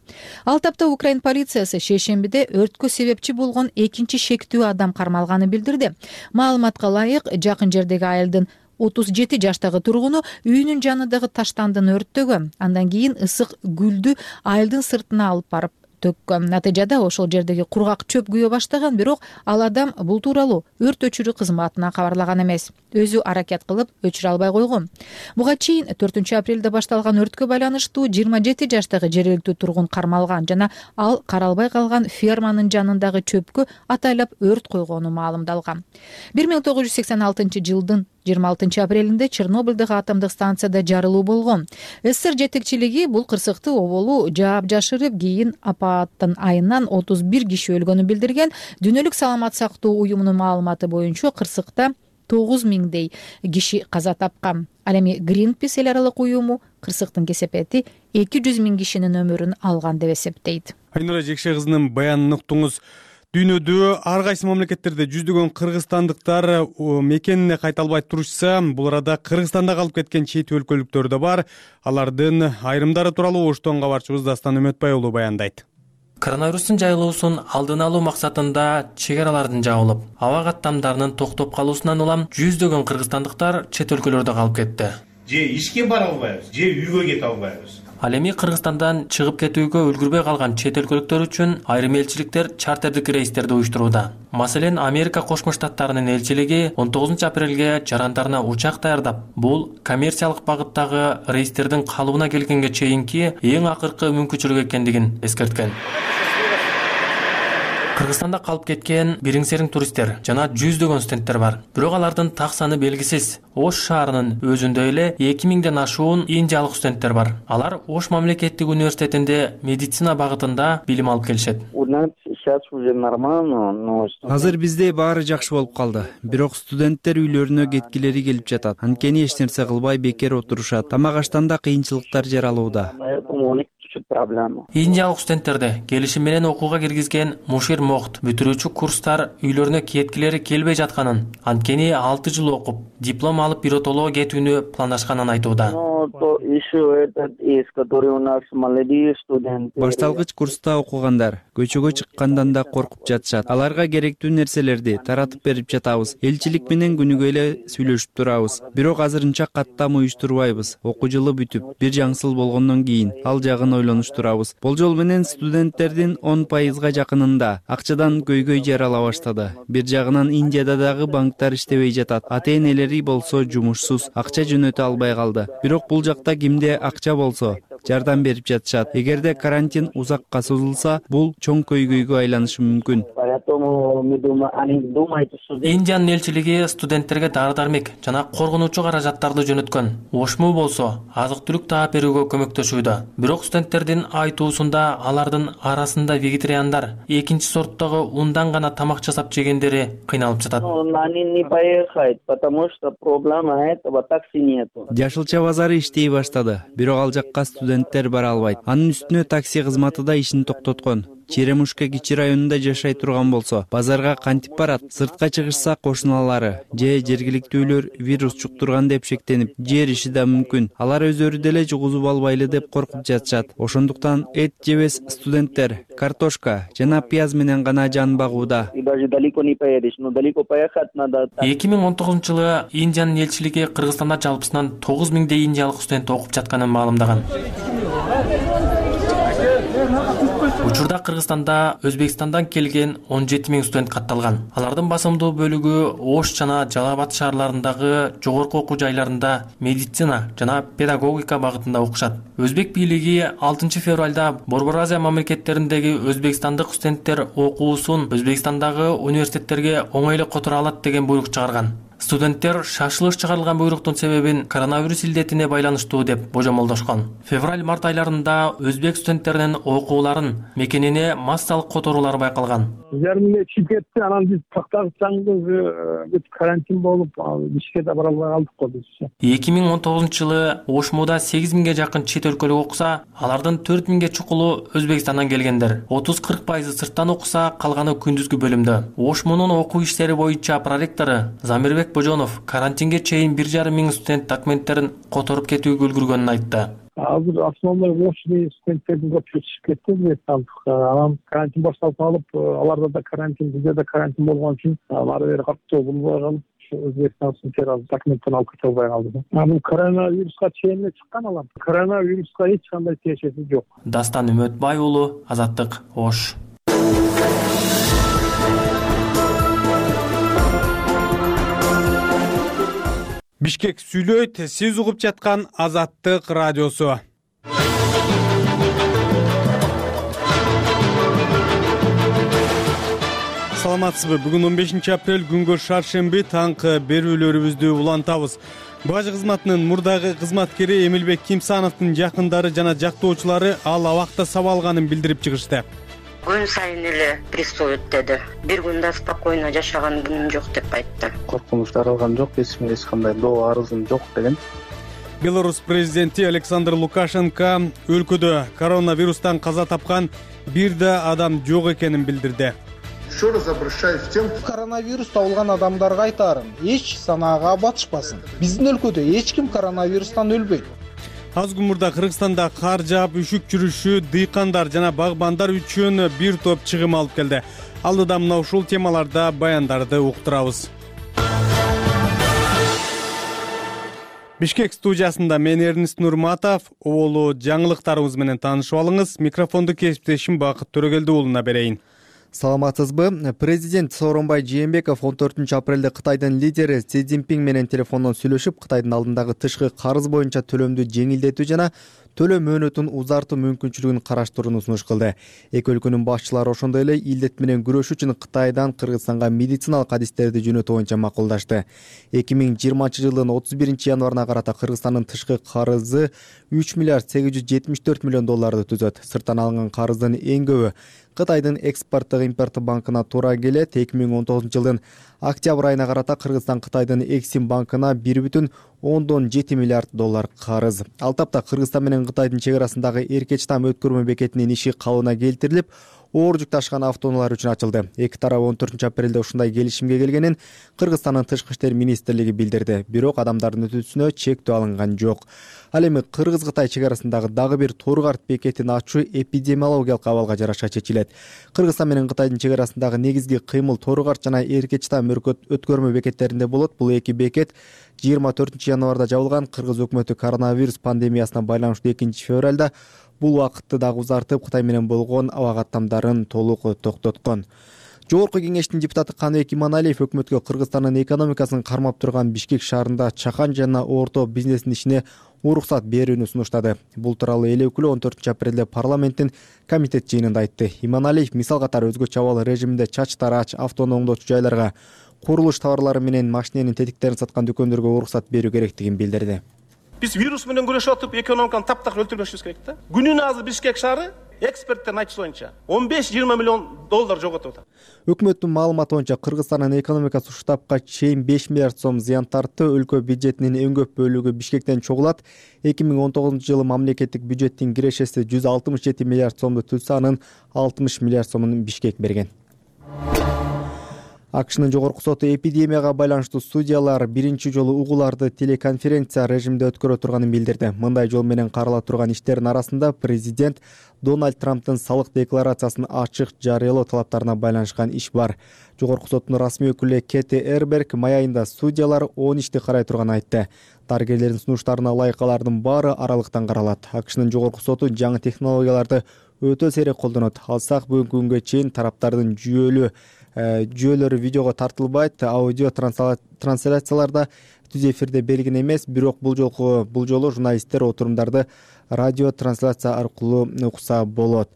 Ал тапта Украин полициясы шейшембиде өрткө себепчи болгон экинчи шектүү адам кармалганын билдирди. Маалыматка ылайык, жакын жердеги айылдын отуз жети жаштагы тургуну үйүнүн жанындагы таштандыны өрттөгөн, андан кийин ысык гүлдү айылдын сыртына алып барып төккөн. Натыйжада ошол жердеги кургак чөп күйө баштаган, бирок ал адам бул тууралуу өрт өчүрүү кызматына кабарлаган эмес. Өзү аракет кылып өчүрө албай койгон. Буга чейин төртүнчү апрелде башталган өрткө байланыштуу жыйырма жети жаштагы жергиликтүү тургун кармалган жана ал каралбай калган ферманын жанындагы чөпкө атайлап өрт койгону маалымдалган. бир миң тогуз жүз сексен алтынчы жылдын жыйырма алтынчы апрелинде Чернобылдагы атомдук станцияда жарылуу болгон. СССР жетекчилиги бул кырсыкты оболу жаап жашырып, кийин апаттын айынан отуз бир киши өлгөнүн билдирген. Дүйнөлүк саламат сактоо уюмунун маалыматы боюнча кырсыкта тогуз миңдей киши каза тапкан. Ал эми Greenpeace эл аралык уюму кырсыктын кесепети эки жүз миң кишинин өмүрүн алган деп эсептейт. Айнура Жекше кызынын баянын уктуңуз. Дүйнөдө ар кайсы мамлекеттерде жүздөгөн кыргызстандыктар мекенине кайта албай турушса, бул арада Кыргызстанда калып кеткен чет өлкөлүктөр да бар. Алардын айрымдары тууралуу Оштон кабарчыбыз Дастан Үмөтбай уулу баяндайт. Коронавирустун жайылуусун алдын алуу максатында чек аралардын жабылып, аба каттамдарынын токтоп калуусунан улам жүздөгөн кыргызстандыктар чет өлкөлөрдө калып кетти. Же ишке бара албайбыз, же үйгө кете албайбыз. Ал эми Кыргызстандан чыгып кетүүгө үлгүрбөй калган чет өлкөлүктөр үчүн айрым элчиликтер чартердик рейстерди уюштурууда. Маселен, Америка Кошмо Штаттарынын элчилиги он тогузунчу апрелге жарандарына учак даярдап, бул коммерциялык багыттагы рейстердин калыбына келгенге чейинки эң акыркы мүмкүнчүлүк экендигин эскерткен. Кыргызстанда калып кеткен бириң-сериң туристтер жана жүздөгөн студенттер бар. Бирок алардын так саны белгисиз. Ош шаарынын өзүндө эле эки миңден ашуун индиялык студенттер бар. Алар Ош мамлекеттик университетинде медицина багытында билим алып келишет. Азыр бизде баары жакшы болуп калды. Бирок студенттер үйлөрүнө кеткилери келип жатат. Анткени эч нерсе кылбай бекер отурушат. Тамак аштанда кыйынчылыктар жаралууда. Индиялык студенттерди келишим менен окууга киргизген Мушир Мохт бүтүрүүчү курстар үйлөрүнө кеткилери келбей жатканын, анткени алты жыл окуп, диплом алып биротолого кетүүнү пландашканын айтууда. Башталгыч курста окугандар көчөгө чыккандан да коркуп жатышат. Аларга керектүү нерселерди таратып берип жатабыз. Элчилик менен күнүгө эле сүйлөшүп турабыз. Бирок азырынча каттам уюштурбайбыз. Окуу жылы бүтүп, бир жаңсыл болгондон кийин ал жагын ойлонуштурабыз. Болжол менен студенттердин он пайызга жакынында акчадан көйгөй жарала баштады. Бир жагынан Индияда дагы банктар иштебей жатат. Ата-энелери болсо жумушсуз, акча жөнөтө албай калды. Бирок бул жакта кимде акча болсо жардам берип жатышат. Эгерде карантин узакка созулса, бул чоң көйгөйгө айланышы мүмкүн. Индиянын элчилиги студенттерге дары-дармек жана коргонуучу каражаттарды жөнөткөн. Ошму болсо азык-түлүк таап берүүгө көмөктөшүүдө. Бирок студенттердин айтуусунда алардын арасында вегетариандар, экинчи сорттогу ундан гана тамак жасап жегендери кыйналып жатат. Жашылча базары иштей баштады, бирок ал жакка студенттер бара албайт. Анын үстүнө такси кызматы да ишин токтоткон. Черемушка кичи районунда жашай турган болсо, базарга кантип барат? Сыртка чыгышса кошуналары же жергиликтүүлөр вирус жуктурган деп шектенип, жериши да мүмкүн. Алар өздөрү деле жугузуп албайлы деп коркуп жатышат. Ошондуктан эт жебес студенттер картошка жана пияз менен гана жан багууда. эки миң он тогузунчу жылы Индиянын элчилиги Кыргызстанда жалпысынан тогуз миңдей индиялык студент окуп жатканын маалымдаган. Учурда Кыргызстанда Өзбекстандан келген он жети миң студент катталган. Алардын басымдуу бөлүгү Ош жана Жалал Абад шаарларындагы жогорку окуу жайларында медицина жана педагогика багытында окушат. Өзбек бийлиги алтынчы февралда Борбор Азия мамлекеттериндеги өзбекстандык студенттер окуусун Өзбекстандагы университеттерге оңой эле которо алат деген буйрук чыгарган. Студенттер шашылыш чыгарылган буйруктун себебин коронавирус илдетине байланыштуу деп божомолдошкон. Февраль-март айларында өзбек студенттеринин окууларын мекенине массалык которуулар байкалган. Жарымы чипетти, анан биз тактагычаңыз бүт карантин болуп, ишке да бара албай калдык го биз. эки миң он тогузунчу жылы Ошмуда сегиз миңге жакын чет өлкөлүк окуса, алардын төрт миңге чукулу Өзбекстандан келгендер. отуз кырк пайызы сырттан окуса, калганы күндүзгү бөлүмдө. Ошмунун окуу иштери боюнча проректору Замирбек Божонов карантинге чейин бир жарым миң студент документтерин которуп кетүүгө үлгүргөнүн айтты. Азыр основной очный студенттердин көпчүлүгү чыгып кетти. Анан карантин башталып калып, аларда да карантин, бизде да карантин болгон үчүн ары бери каттуу болбой калып, Өзбекстан террор документтен алып кете албай калды. Бул коронавируска чейин эле чыккан алам. Коронавируска эч кандай тиешеси жок. Дастан Үмөтбай уулу, Азаттык, Ош. Бишкек сүйлөйт, сиз угуп жаткан Азаттык радиосу. Саламатсызбы? Бүгүн он бешинчи апрель күнгө шаршемби таңкы берүүлөрүбүздү улантабыз. Баж кызматынын мурдагы кызматкери Эмилбек Кимсановдун жакындары жана жактоочулары ал абакта сабалганын билдирип чыгышты. Күн сайын эле приступ өтөдү. Бир күн да спокойно жашаган күнүм жок деп айтты. Коркунуч таралган жок, эч кимге эч кандай доо арызым жок деген. Беларусь президенти Александр Лукашенко өлкөдө коронавирустан каза тапкан бир да адам жок экенин билдирди. Еще раз обращаюсь к тем, коронавирус табылган адамдарга айтарым, эч санаага батышпасын. Биздин өлкөдө эч ким коронавирустан өлбөйт. Аз күн мурда Кыргызстанда кар жаап, үшүк жүрүшү дыйкандар жана багбандар үчүн бир топ чыгым алып келди. Алдыда мына ушул темаларда баяндарды уктурабыз. Бишкек студиясында мен Эрнист Нурматов, оолу жаңылыктарыбыз менен таанышып алыңыз. Микрофонду кесиптешим Бакыт Төрөгелди уулуна берейин. Саламатсызбы? Президент Сооронбай Жээнбеков он төртүнчү апрелде Кытайдын лидери Си Цзиньпин менен телефондон сүйлөшүп, Кытайдын алдындагы тышкы карыз боюнча төлөмдү жеңилдетүү жана төлөм мөөнөтүн узартуу мүмкүнчүлүгүн караштырууну сунуш кылды. Эки өлкөнүн башчылары ошондой эле илдет менен күрөшүү үчүн Кытайдан Кыргызстанга медициналык адистерди жөнөтүү боюнча макулдашты. эки миң жыйырманчы жылдын отуз биринчи январына карата Кыргызстандын тышкы карызы үч миллиард сегиз жүз жетимиш төрт миллион долларды түзөт. Сырттан алынган карыздын эң көбү Кытайдын экспорттук импорттук банкына туура келет. эки миң он тогузунчу жылдын октябрь айына карата Кыргызстан Кытайдын Эксим банкына бир бүтүн ондон жети миллиард доллар карыз. Ал тапта Кыргызстан менен Кытайдын чек арасындагы Эркеч там өткөрмө бекетинин иши калыбына келтирилип, оор жүк ташыган автоунаалар үчүн ачылды. Эки тарап он төртүнчү апрелде ушундай келишимге келгенин Кыргызстандын тышкы иштер министрлиги билдирди. Бирок адамдардын өтүүсүнө чектөө алынган жок. Ал эми Кыргыз-Кытай чек арасындагы дагы бир Торгарт бекетин ачуу эпидемиологиялык абалга жараша чечилет. Кыргызстан менен Кытайдын чек арасындагы негизги кыймыл Торгарт жана Эркеч там өткөрмө бекеттеринде болот. Бул эки бекет жыйырма төртүнчү январда жабылган. Кыргыз өкмөтү коронавирус пандемиясына байланыштуу экинчи февралда бул убакытты дагы узартып, Кытай менен болгон аба каттамдарын толук токтоткон. Жогорку кеңештин депутаты Каныбек Иманалиев өкмөткө Кыргызстандын экономикасын кармап турган Бишкек шаарында чакан жана орто бизнестин ишине уруксат берүүнү сунуштады. Бул тууралуу эл өкүлү он төртүнчү апрелде парламенттин комитет жыйынында айтты. Иманалиев мисал катары өзгөчө абал режиминде чач тарач, автоунаа оңдоочу жайларга, курулуш товарлары менен машиненин тетиктерин саткан дүкөндөргө уруксат берүү керектигин билдирди. Биз вирус менен күрөшүп атып, экономиканы таптак өлтүрбөшүбүз керек да. Күнүнө азыр Бишкек шаары эксперттердин айтышы боюнча он беш жыйырма миллион доллар жоготуп атат. Өкмөттүн маалыматы боюнча Кыргызстандын экономикасы ушул тапка чейин беш миллиард сом зыян тартты. Өлкө бюджетинин эң көп бөлүгү Бишкектен чогулат. эки миң он тогузунчу жылы мамлекеттик бюджеттин кирешеси жүз алтымыш жети миллиард сомду түзсө, анын алтымыш миллиард сомун Бишкек берген. АКШнын жогорку соту эпидемияга байланыштуу судьялар биринчи жолу угууларды телеконференция режимде өткөрө турганын билдирди. Мындай жол менен карала турган иштердин арасында президент Дональд Трамптын салык декларациясын ачык жарыялоо талаптарына байланышкан иш бар. Жогорку соттун расмий өкүлү Кэти Эрберг май айында судьялар он ишти карай турганын айтты. Дарыгерлердин сунуштарына ылайык алардын баары аралыктан каралат. АКШнын жогорку соту жаңы технологияларды өтө сейрек колдонот. Алсак бүгүнкү күнгө чейин тараптардын жүйөлүү жүйөлөрү видеого тартылбайт, аудио трансляцияларда түз эфирде белгин эмес. Бирок бул жолку бул жолу журналисттер отурумдарды радио трансляция аркылуу укса болот.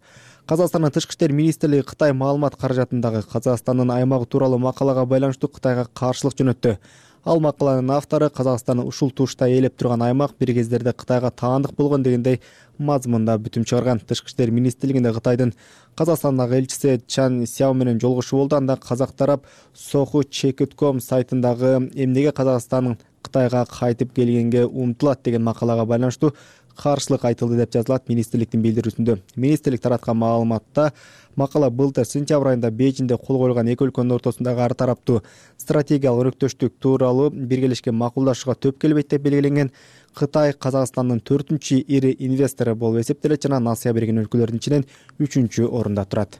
Казакстандын тышкы иштер министрлиги Кытай маалымат каражатындагы Казакстандын аймагы тууралуу макалага байланыштуу Кытайга каршылык жөнөттү. Ал макаланын автору Казакстан ушул тушта ээлеп турган аймак бир кездерде Кытайга таандык болгон дегендей мазмунда бүтүм чыгарган. Тышкы иштер министрлигинде Кытайдын Казакстандагы элчиси Чан Сяо менен жолугушуу болду. Анда казак тарап Соху Чекитком сайтындагы эмнеге Казакстан Кытайга кайтып келгенге умтулат деген макалага байланыштуу каршылык айтылды деп жазылат министрликтин билдирүүсүндө. Министрлик тараткан маалыматта макала былтыр сентябрь айында Бейжиңде кол коюлган эки өлкөнүн ортосундагы ар тараптуу стратегиялык өнөктөштүк тууралуу биргелешке макулдашууга төп келбейт деп белгиленген. Кытай Казакстандын төртүнчү ири инвестору болуп эсептелет жана Насыя берген өлкөлөрдүн ичинен үчүнчү орунда турат.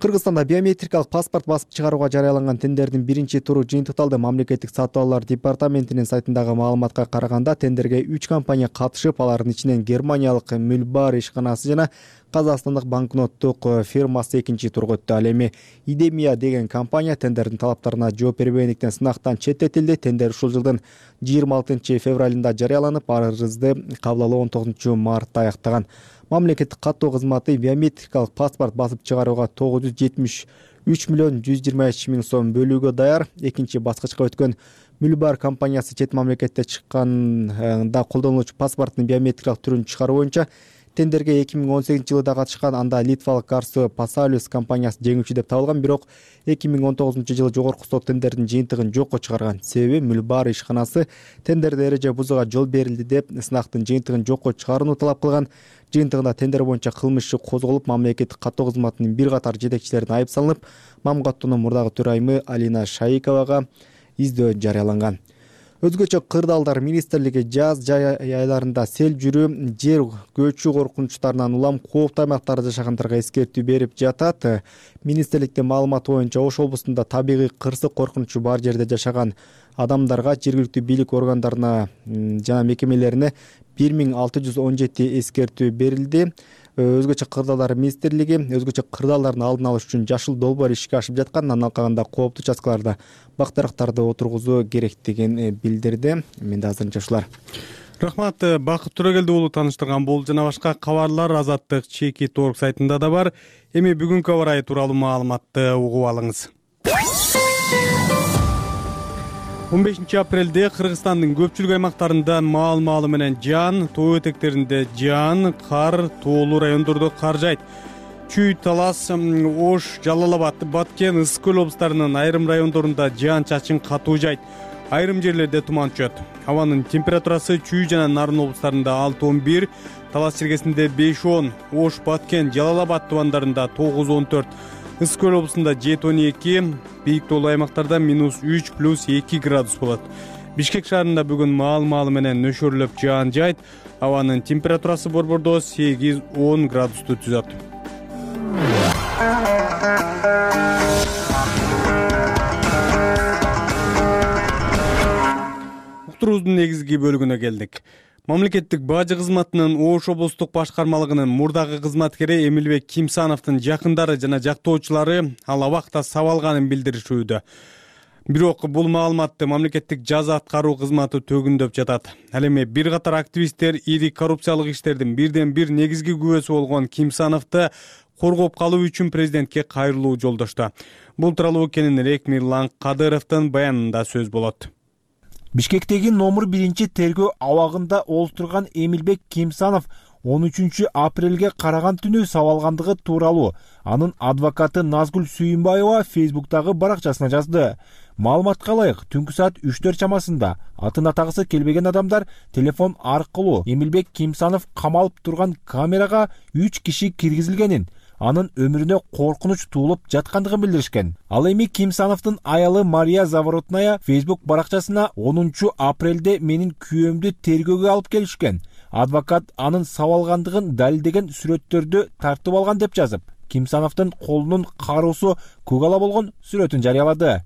Кыргызстанда биометрикалык паспорт басып чыгарууга жарыяланган тендердин биринчи туру жыйынтыкталды. Мамлекеттик сатып алуулар департаментинин сайтындагы маалыматка караганда тендерге үч компания катышып, алардын ичинен германиялык Мülbar ишканасы жана казакстандык банкноттук фирмасы экинчи турга өттү. Ал эми Идемия деген компания тендердин талаптарына жооп бербегендиктен сынактан четтетилди. Тендер ушул жылдын жыйырма алтынчы февралында жарыяланып, арызды кабыл алуу он тогузунчу мартта аяктаган. Мамлекеттик каттоо кызматы биометрикалык паспорт басып чыгарууга тогуз жүз жетимиш үч миллион жүз жыйырма эч миң сом бөлүүгө даяр. Экинчи баскычка өткөн Mülbar компаниясы чет мамлекетте чыкканда колдонулуучу паспорттун биометрикалык түрүн чыгаруу боюнча тендерге эки миң он сегизинчи жылы да катышкан. Анда литвалык Garso Pasaulius компаниясы жеңүүчү деп табылган, бирок эки миң он тогузунчу жылы жогорку сот тендердин жыйынтыгын жокко чыгарган. Себеби Mülbar ишканасы тендерде эреже бузууга жол берилди деп сынактын жыйынтыгын жокко чыгарууну талап кылган. Жыйынтыгында тендер боюнча кылмыш иши козголуп, мамлекеттик каттоо кызматынын бир катар жетекчилерине айып салынып, Мамгаттоонун мурдагы төрайымы Алина Шаиковага издөө жарыяланган. Өзгөчө кырдаалдар министрлиги жаз жай айларында сел жүрүү, жер көчүү коркунучтарынан улам кооптуу аймактарда жашагандарга эскертүү берип жатат. Министрликтин маалыматы боюнча Ош облусунда табигый кырсык коркунучу бар жерде жашаган адамдарга жергиликтүү бийлик органдарына жана мекемелерине бир миң алты жүз он жети эскертүү берилди. Өзгөчө кырдаалдар министрлиги өзгөчө кырдаалдардын алдын алыш үчүн жашыл долбоор ишке ашып жаткан, андан калганда кооптуу участкаларда бак-дарактарды отургузуу керектигин билдирди. Менде азырынча ушулар. Рахмат, Бакыт Төрөгелди уулу тааныштырган бул жана башка кабарлар Азаттык чеки торг сайтында да бар. Эми бүгүнкү аба ырайы тууралуу маалыматты угуп алыңыз. он бешинчи апрелде Кыргызстандын көпчүлүк аймактарында маал-маалы менен жаан, тоо этектеринде жаан, кар, тоолуу райондордо кар жайт. Чүй, Талас, Ош, Жалал Абад, Баткен, Ысык көл облустарынын айрым райондорунда жаан-чачын катуу жайт. Айрым жерлерде туман түшөт. Абанын температурасы Чүй жана Нарын облустарында алты он бир, Талас чергесинде беш он, Ош, Баткен, Жалал Абад тубандарында тогуз он төрт, Ысык көл облусунда жети он эки, бийик тоолуу аймактарда минус үч плюс эки градус болот. Бишкек шаарында бүгүн маал-маалы менен нөшөрлөп жаан жайт. Абанын температурасы борбордо сегиз он градусту түзөт. Уктуруубуздун негизги бөлүгүнө келдик. Мамлекеттик бажы кызматынын Ош облустук башкармалыгынын мурдагы кызматкери Эмилбек Кимсановдун жакындары жана жактоочулары ал абакта сабалганын билдиришүүдө. Бирок бул маалыматты мамлекеттик жаза аткаруу кызматы төгүндөп жатат. Ал эми бир катар активисттер ири коррупциялык иштердин бирден бир негизги күбөсү болгон Кимсановду коргоп калуу үчүн президентке кайрылуу жолдошту. Бул тууралуу кененирээк Мирлан Кадыровдун баянында сөз болот. Бишкектеги номер биринчи тергөө абагында олтурган Эмилбек Кимсанов он үчүнчү апрелге караган түнү сабалгандыгы тууралуу анын адвокаты Назгүл Сүйүнбаева Фейсбуктагы баракчасына жазды. Маалыматка ылайык, түнкү саат үчтөр чамасында атын атагысы келбеген адамдар телефон аркылуу Эмилбек Кимсанов камалып турган камерага үч киши киргизилгенин, анын өмүрүнө коркунуч туулуп жаткандыгын билдиришкен. Ал эми Кимсановдун аялы Мария Заворотная Фейсбук баракчасына онунчу апрелде менин күйөөмдү тергөөгө алып келишкен. Адвокат анын сабалгандыгын далилдеген сүрөттөрдү тартып алган деп жазып, Кимсановдун колунун кароосу көк ала болгон сүрөтүн жарыялады.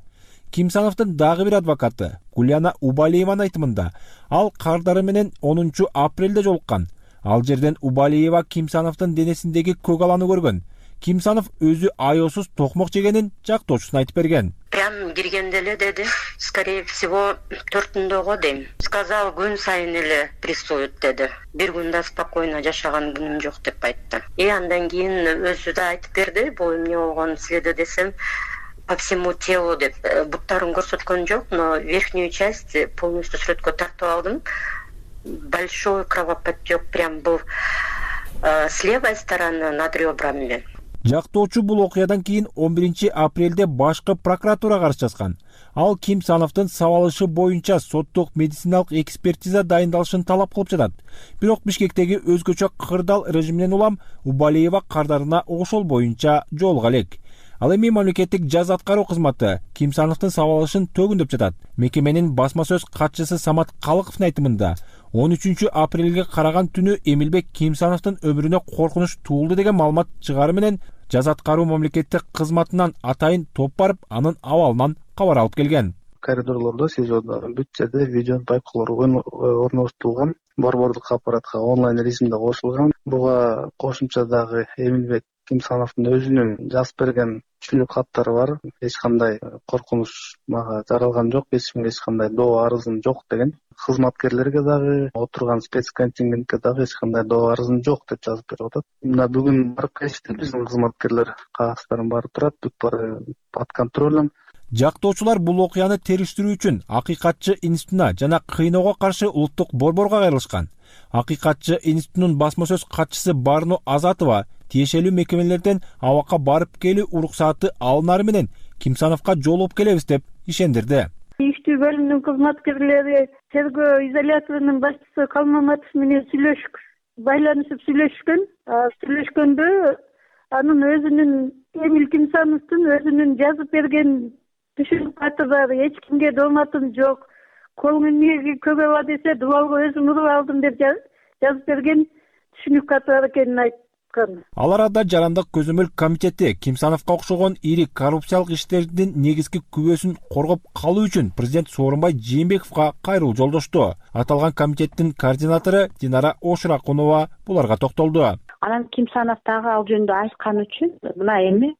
Кимсановдун дагы бир адвокаты Гуляна Убалиеванын айтымында ал кардары менен онунчу апрелде жолуккан. Ал жерден Убалиева Кимсановдун денесиндеги көк аланы көргөн. Кимсанов өзү аеосуз токмок жегенин жактоочусуна айтып берген. Прям киргенде эле деди, скорее всего төртүндөгө дейм. Сказал, күн сайын эле прессуют деди. Бир күндө спокойно жашаган күнүм жок деп айтты. И андан кийин өзү да айтып берди, бул эмне болгон силерде десем, по всему телу деп. Буттарын көрсөткөн жок, но верхнюю часть полностью сүрөткө тартып алдым. Большой кровоподтек прям был э, с левой стороны над ребрами. Жактоочу бул окуядан кийин он биринчи апрелде башкы прокуратурага арыз жазган. Ал Кимсановдун сабалышы боюнча соттук медициналык экспертиза дайындалышын талап кылып жатат. Бирок Бишкектеги өзгөчө кырдаал режиминен улам Убалиева кардарына ошол боюнча жолуга элек. Ал эми мамлекеттик жаза аткаруу кызматы Кимсановдун сабалышын төгүндөп жатат. Мекеменин басма сөз катчысы Самат Калыковдун айтымында он үчүнчү апрелге караган түнү Эмилбек Кимсановдун өмүрүнө коркунуч туулду деген маалымат чыгаары менен жаза аткаруу мамлекеттик кызматынан атайын топ барып, анын абалынан кабар алып келген. Коридорлордо, СИЗОдо бүт жерде видео байкоолор орноштурулган, борбордук аппаратка онлайн режимде кошулган. Буга кошумча дагы Эмилбек Кимсановдун өзүнүн жазып берген түшүнүк каттары бар. Эч кандай коркунуч мага жаралган жок, эч кимге эч кандай доо арызым жок деген. Кызматкерлерге дагы, отурган спецконтингентке дагы эч кандай доо арызым жок деп жазып берип атат. Мына бүгүн барып келишти биздин кызматкерлер, кагаздарын баары турат, бүт баары под контролем. Жактоочулар бул окуяны териштирүү үчүн Акыйкатчы институтуна жана кыйноого каршы улуттук борборго кайрылышкан. Акыйкатчы институтунун басма сөз катчысы Барно Азатова тиешелүү мекемелерден абакка барып келүү уруксаты алынары менен Кимсановго жолугуп келебиз деп ишендирди. Иштүү бөлүмүнүн кызматкерлери тергөө изоляторунун башчысы Калмаматов менен сүйлөшүп, байланышып сүйлөшкөн. Сүйлөшкөндө анын өзүнүн Эмил Кимсановдун өзүнүн жазып берген түшүнүк каттары эч кимге дооматым жок. Колуң эмнеге көбөба десе, дубалга өзүм уруп алдым деп жазып берген түшүнүк каттары экенин айткан. Ал арада Жарандык көзөмөл комитети Кимсановго окшогон ири коррупциялык иштердин негизги күбөсүн коргоп калуу үчүн президент Сооронбай Жээнбековго кайрылуу жолдошту. Аталган комитеттин координатору Динара Ошуракунова буларга токтолду. Анан Кимсанов дагы ал жөнүндө айткан үчүн мына эми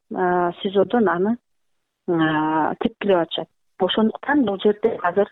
СИЗОдон аны тепкилеп атышат. Ошондуктан бул жерде азыр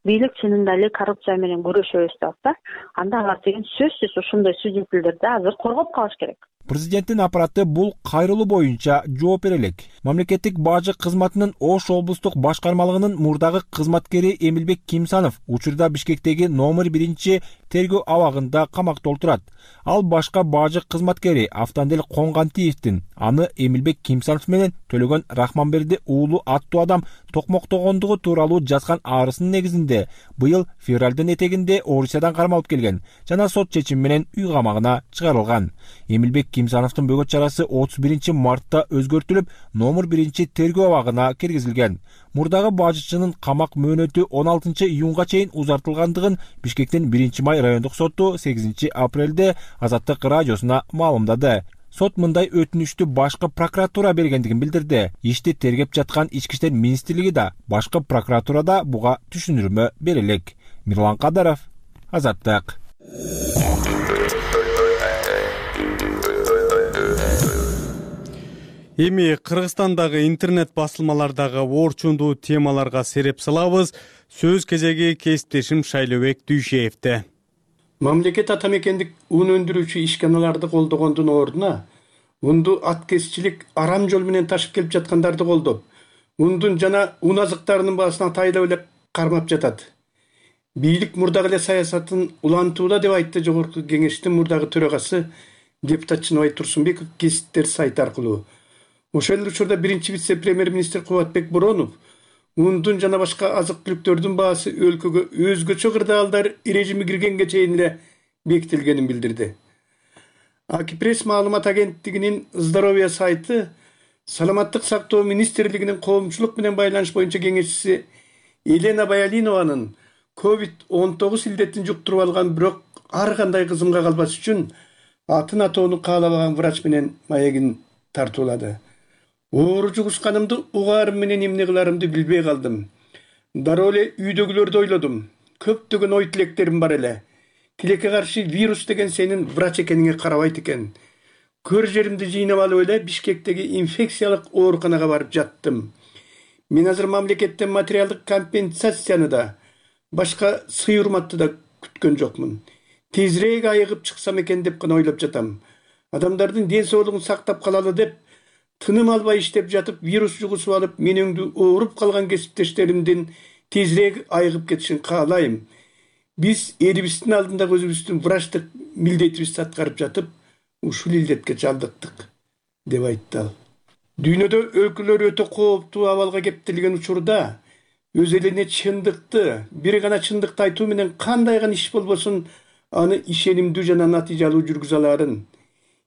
бийлик чынында эле коррупция менен күрөшөбүз деп атса, анда алар деген сөзсүз ошондой свидетелдерди азыр коргоп калыш керек. Президенттин аппараты бул кайрылуу боюнча жооп бере элек. Мамлекеттик бажы кызматынын Ош облустук башкармалыгынын мурдагы кызматкери Эмилбек Кимсанов учурда Бишкектеги номер биринчи тергөө абагында камакта отурат. Ал башка бажы кызматкери Автандел Конгантиевдин аны Эмилбек Кимсанов менен Төлөгөн Рахманберди уулу аттуу адам токмоктогондугу тууралуу жазган арызынын негизинде быйыл февралдын этегинде Орусиядан кармалып келген жана сот чечими менен үй камагына чыгарылган. Эмилбек Кимсановдун бөгөт чарасы отуз биринчи мартта өзгөртүлүп, номер биринчи тергөө абагына киргизилген. Мурдагы бажычынын камак мөөнөтү он алтынчы июнга чейин узартылгандыгын Бишкектин биринчи май райондук соту сегизинчи апрелде Азаттык радиосуна маалымдады. Сот мындай өтүнүштү башкы прокуратура бергендигин билдирди. Ишти тергеп жаткан Ички иштер министрлиги да, башкы прокуратурада буга түшүндүрмө бере элек. Мирлан Кадаров, Азаттык. Эми Кыргызстандагы интернет басылмалардагы орчундуу темаларга сереп салабыз. Сөз кезеги кесиптешим Шайлообек Дүйшеевде. Мамлекет атамекендик ун өндүрүүчү ишканаларды колдогондун ордуна унду аткезчилик арам жол менен ташып келип жаткандарды колдоп, ундун жана ун азыктарынын баасына тайлап эле кармап жатат. Бийлик мурдагы эле саясатын улантууда деп айтты Жогорку Кеңештин мурдагы төрагасы депутат Чыныбай Турсунбеков кесиптер сайты аркылуу. Ошол эле учурда биринчи вице-премьер-министр Кубатбек Боронов ундун жана башка азык-түлүктөрдүн баасы өлкөгө өзгөчө кырдаалдар режими киргенге чейин эле бекитилгенин билдирди. Акипресс маалымат агенттигинин здоровье сайты Саламаттык сактоо министрлигинин коомчулук менен байланыш боюнча кеңешчиси Елена Баялинованын ковид он тогуз илдетин жуктуруп алган, бирок ар кандай кызымга калбаш үчүн атын атоону каалабаган врач менен маегин тартуулады. Оору жугушканымды угаарым менен эмне кыларымды билбей калдым. Дароо эле үйдөгүлөрдү ойлодум. Көптөгөн ой тилектерим бар эле. Тилекке каршы вирус деген сенин врач экениңе карабайт экен. Көр жеримди жыйнап алып эле Бишкектеги инфекциялык ооруканага барып жаттым. Мен азыр мамлекеттен материалдык компенсацияны да, башка сый урматты да күткөн жокмун. Тезирээк айыгып чыксам экен деп гана ойлоп жатам. Адамдардын ден соолугун сактап калалы деп тыным албай иштеп жатып, вирус жугусуп алып, менеңди ооруп калган кесиптештеримдин тезирээк айыгып кетишин каалайм. Биз элибиздин алдындагы өзүбүздүн врачтык милдетибизди аткарып жатып, ушул илдетке чалдыктык, деп айтты ал. Дүйнөдө өлкөлөр өтө кооптуу абалга кептелген учурда өз элине чындыкты, бир гана чындыкты айтуу менен кандай гана иш болбосун аны ишенимдүү жана натыйжалуу жүргүзө аларын,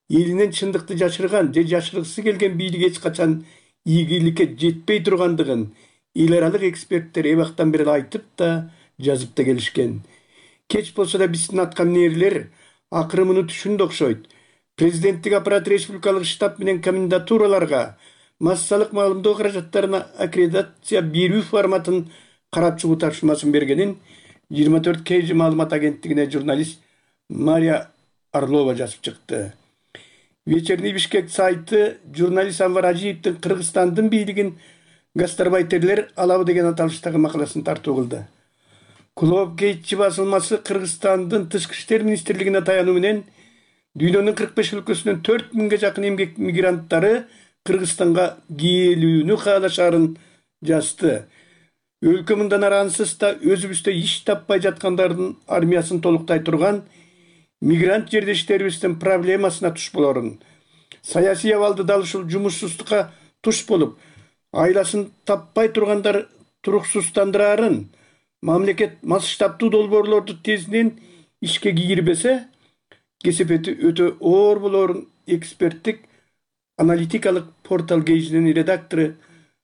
элинен чындыкты жашырган же жашыргысы келген бийлик эч качан ийгиликке жетпей тургандыгын эл аралык эксперттер эбактан бери айтып да жазып да келишкен. Кеч болсо да биздин аткаминерлер акыры муну түшүндү окшойт. Президенттик аппарат республикалык штаб менен комендатураларга массалык маалымдоо каражаттарына аккредитация берүү форматын карап чыгуу тапшырмасын бергенин жыйырма төрт кей жи маалымат агенттигине журналист Мария Орлова жазып чыкты. Вечерний Бишкек сайты журналист Анвар Ажиевдин Кыргызстандын бийлигин гастарбайтерлер алабы деген аталыштагы макаласын тартуу кылды. Клоп Гейтчи басылмасы Кыргызстандын тышкы иштер министрлигине таянуу менен дүйнөнүн кырк беш өлкөсүнөн төрт миңге жакын эмгек мигранттары Кыргызстанга келүүнү каалашарын жазды. Өлкө мындан ары ансыз да өзүбүздө иш таппай жаткандардын армиясын толуктай турган мигрант жердештерибиздин проблемасына туш болорун. Саясий абалды дал ушул жумушсуздукка туш болуп, айласын таппай тургандар туруксуздандырарын, мамлекет масштабдуу долбоорлорду тезинен ишке кийирбесе, кесепети өтө оор болорун эксперттик аналитикалык портал Гейжинин редактору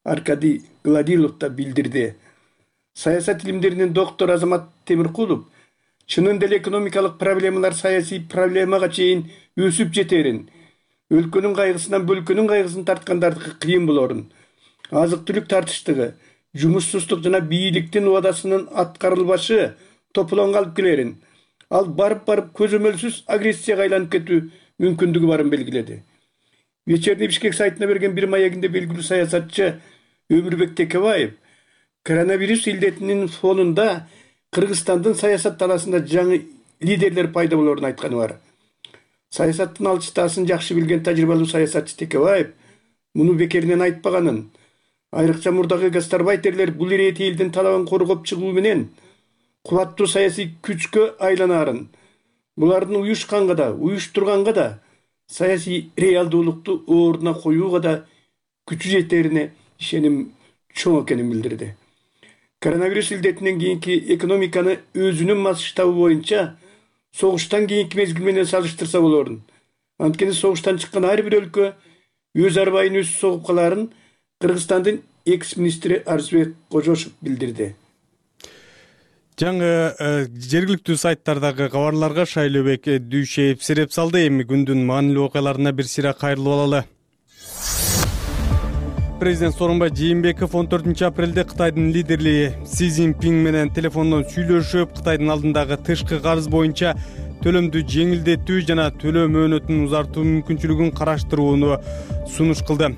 Аркадий Гладилов да билдирди. Саясат илимдеринин доктору Азамат Темиркулов чынында эле экономикалык проблемалар саясий проблемага чейин өсүп жетерин, өлкөнүн кайгысынан бөлкөнүн кайгысын тарткандардыкы кыйын болорун, азык-түлүк тартыштыгы, жумушсуздук жана бийликтин убадасынын аткарылбашы тополонго алып келерин, ал барып-барып көзөмөлсүз агрессияга айланып кетүү мүмкүндүгү барын белгиледи. Вечерний Бишкек сайтына берген бир маегинде белгилүү саясатчы Өмүрбек Текебаев коронавирус илдетинин фонунда Кыргызстандын саясат таласында жаңы лидерлер пайда болорун айтканы бар. Саясаттын алчытаасын жакшы билген тажрыйбалуу саясатчы Текебаев муну бекеринен айтпаганын, айрыкча мурдагы гастарбайтерлер бул ирети элдин талабын коргоп чыгуу менен кубаттуу саясий күчкө айланарын, булардын уюшканга да, уюштурганга да, саясий реалдуулукту ордуна коюуга да күчү жетерине ишеним чоң экенин билдирди. Коронавирус илдетинен кийинки экономиканы өзүнүн масштабы боюнча согуштан кийинки мезгил менен салыштырса болорун. Анткени согуштан чыккан ар бир өлкө өз арбайын өзү согуп каларын Кыргызстандын экс-министри Арзбек Кожошев билдирди. Жаңы жергиликтүү сайттардагы кабарларга Шайлообек Дүйшеев сереп салды. Эми күндүн маанилүү окуяларына бир сыйра кайрылып алалы. Президент Сооронбай Жээнбеков он төртүнчү апрелде Кытайдын лидери Си Цзиньпин менен телефондон сүйлөшүп, Кытайдын алдындагы тышкы карыз боюнча төлөмдү жеңилдетүү жана төлөө мөөнөтүн узартуу мүмкүнчүлүгүн караштырууну сунуш кылды.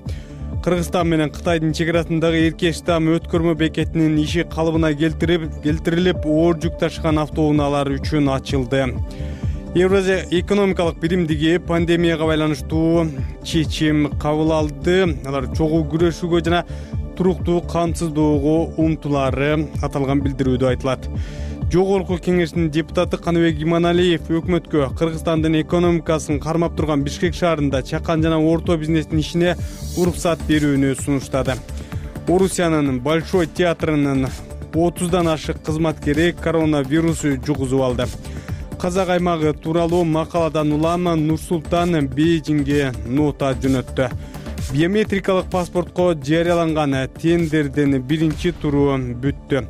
Кыргызстан менен Кытайдын чек арасындагы Эркештам өткөрмө бекетинин иши калыбына келтирип, келтирилип, оор жүк ташыган автоунаалар үчүн ачылды. Евразия экономикалык биримдиги пандемияга байланыштуу чечим кабыл алды. Алар чогуу күрөшүүгө жана туруктуу камсыздоого умтулаары аталган билдирүүдө айтылат. Жогорку кеңештин депутаты Каныбек Иманалиев өкмөткө Кыргызстандын экономикасын кармап турган Бишкек шаарында чакан жана орто бизнестин ишине уруксат берүүнү сунуштады. Орусиянын Большой театрынын отуздан ашык кызматкери коронавирус жугузуп алды. Казак аймагы тууралуу макаладан улам Нур-Султан Бейжиңге нота жөнөттү. Биометрикалык паспортко жарыяланган тендердин биринчи туру бүттү.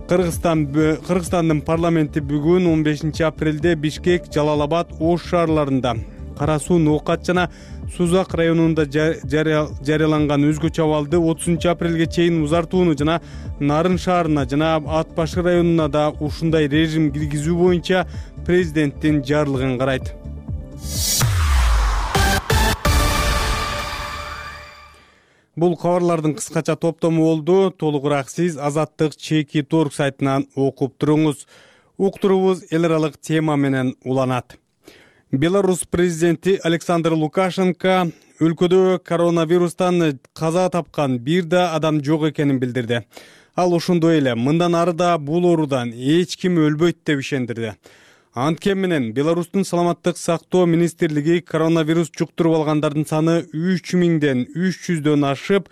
Кыргызстан Кыргызстандын парламенти бүгүн он бешинчи апрелде Бишкек, Жалал-Абад, Ош шаарларында Кара Суу, Ноокат жана Сузак районунда жарыяланган өзгөчө абалды отузунчу апрелге чейин узартууну жана Нарын шаарына жана Ат Башы районуна да ушундай режим киргизүү боюнча президенттин жарлыгын карайт. Бул кабарлардын кыскача топтому болду. Толугураак сиз Азаттык чеки торг сайтынан окуп туруңуз. Уктурубуз эл аралык тема менен уланат. Беларусь президенти Александр Лукашенко өлкөдө коронавирустан каза тапкан бир да адам жок экенин билдирди. Ал ошондой эле мындан ары да бул оорудан эч ким өлбөйт деп ишендирди. Анткени менен Беларустун саламаттык сактоо министрлиги коронавирус жуктуруп алгандардын саны үч миңден үч жүздөн ашып,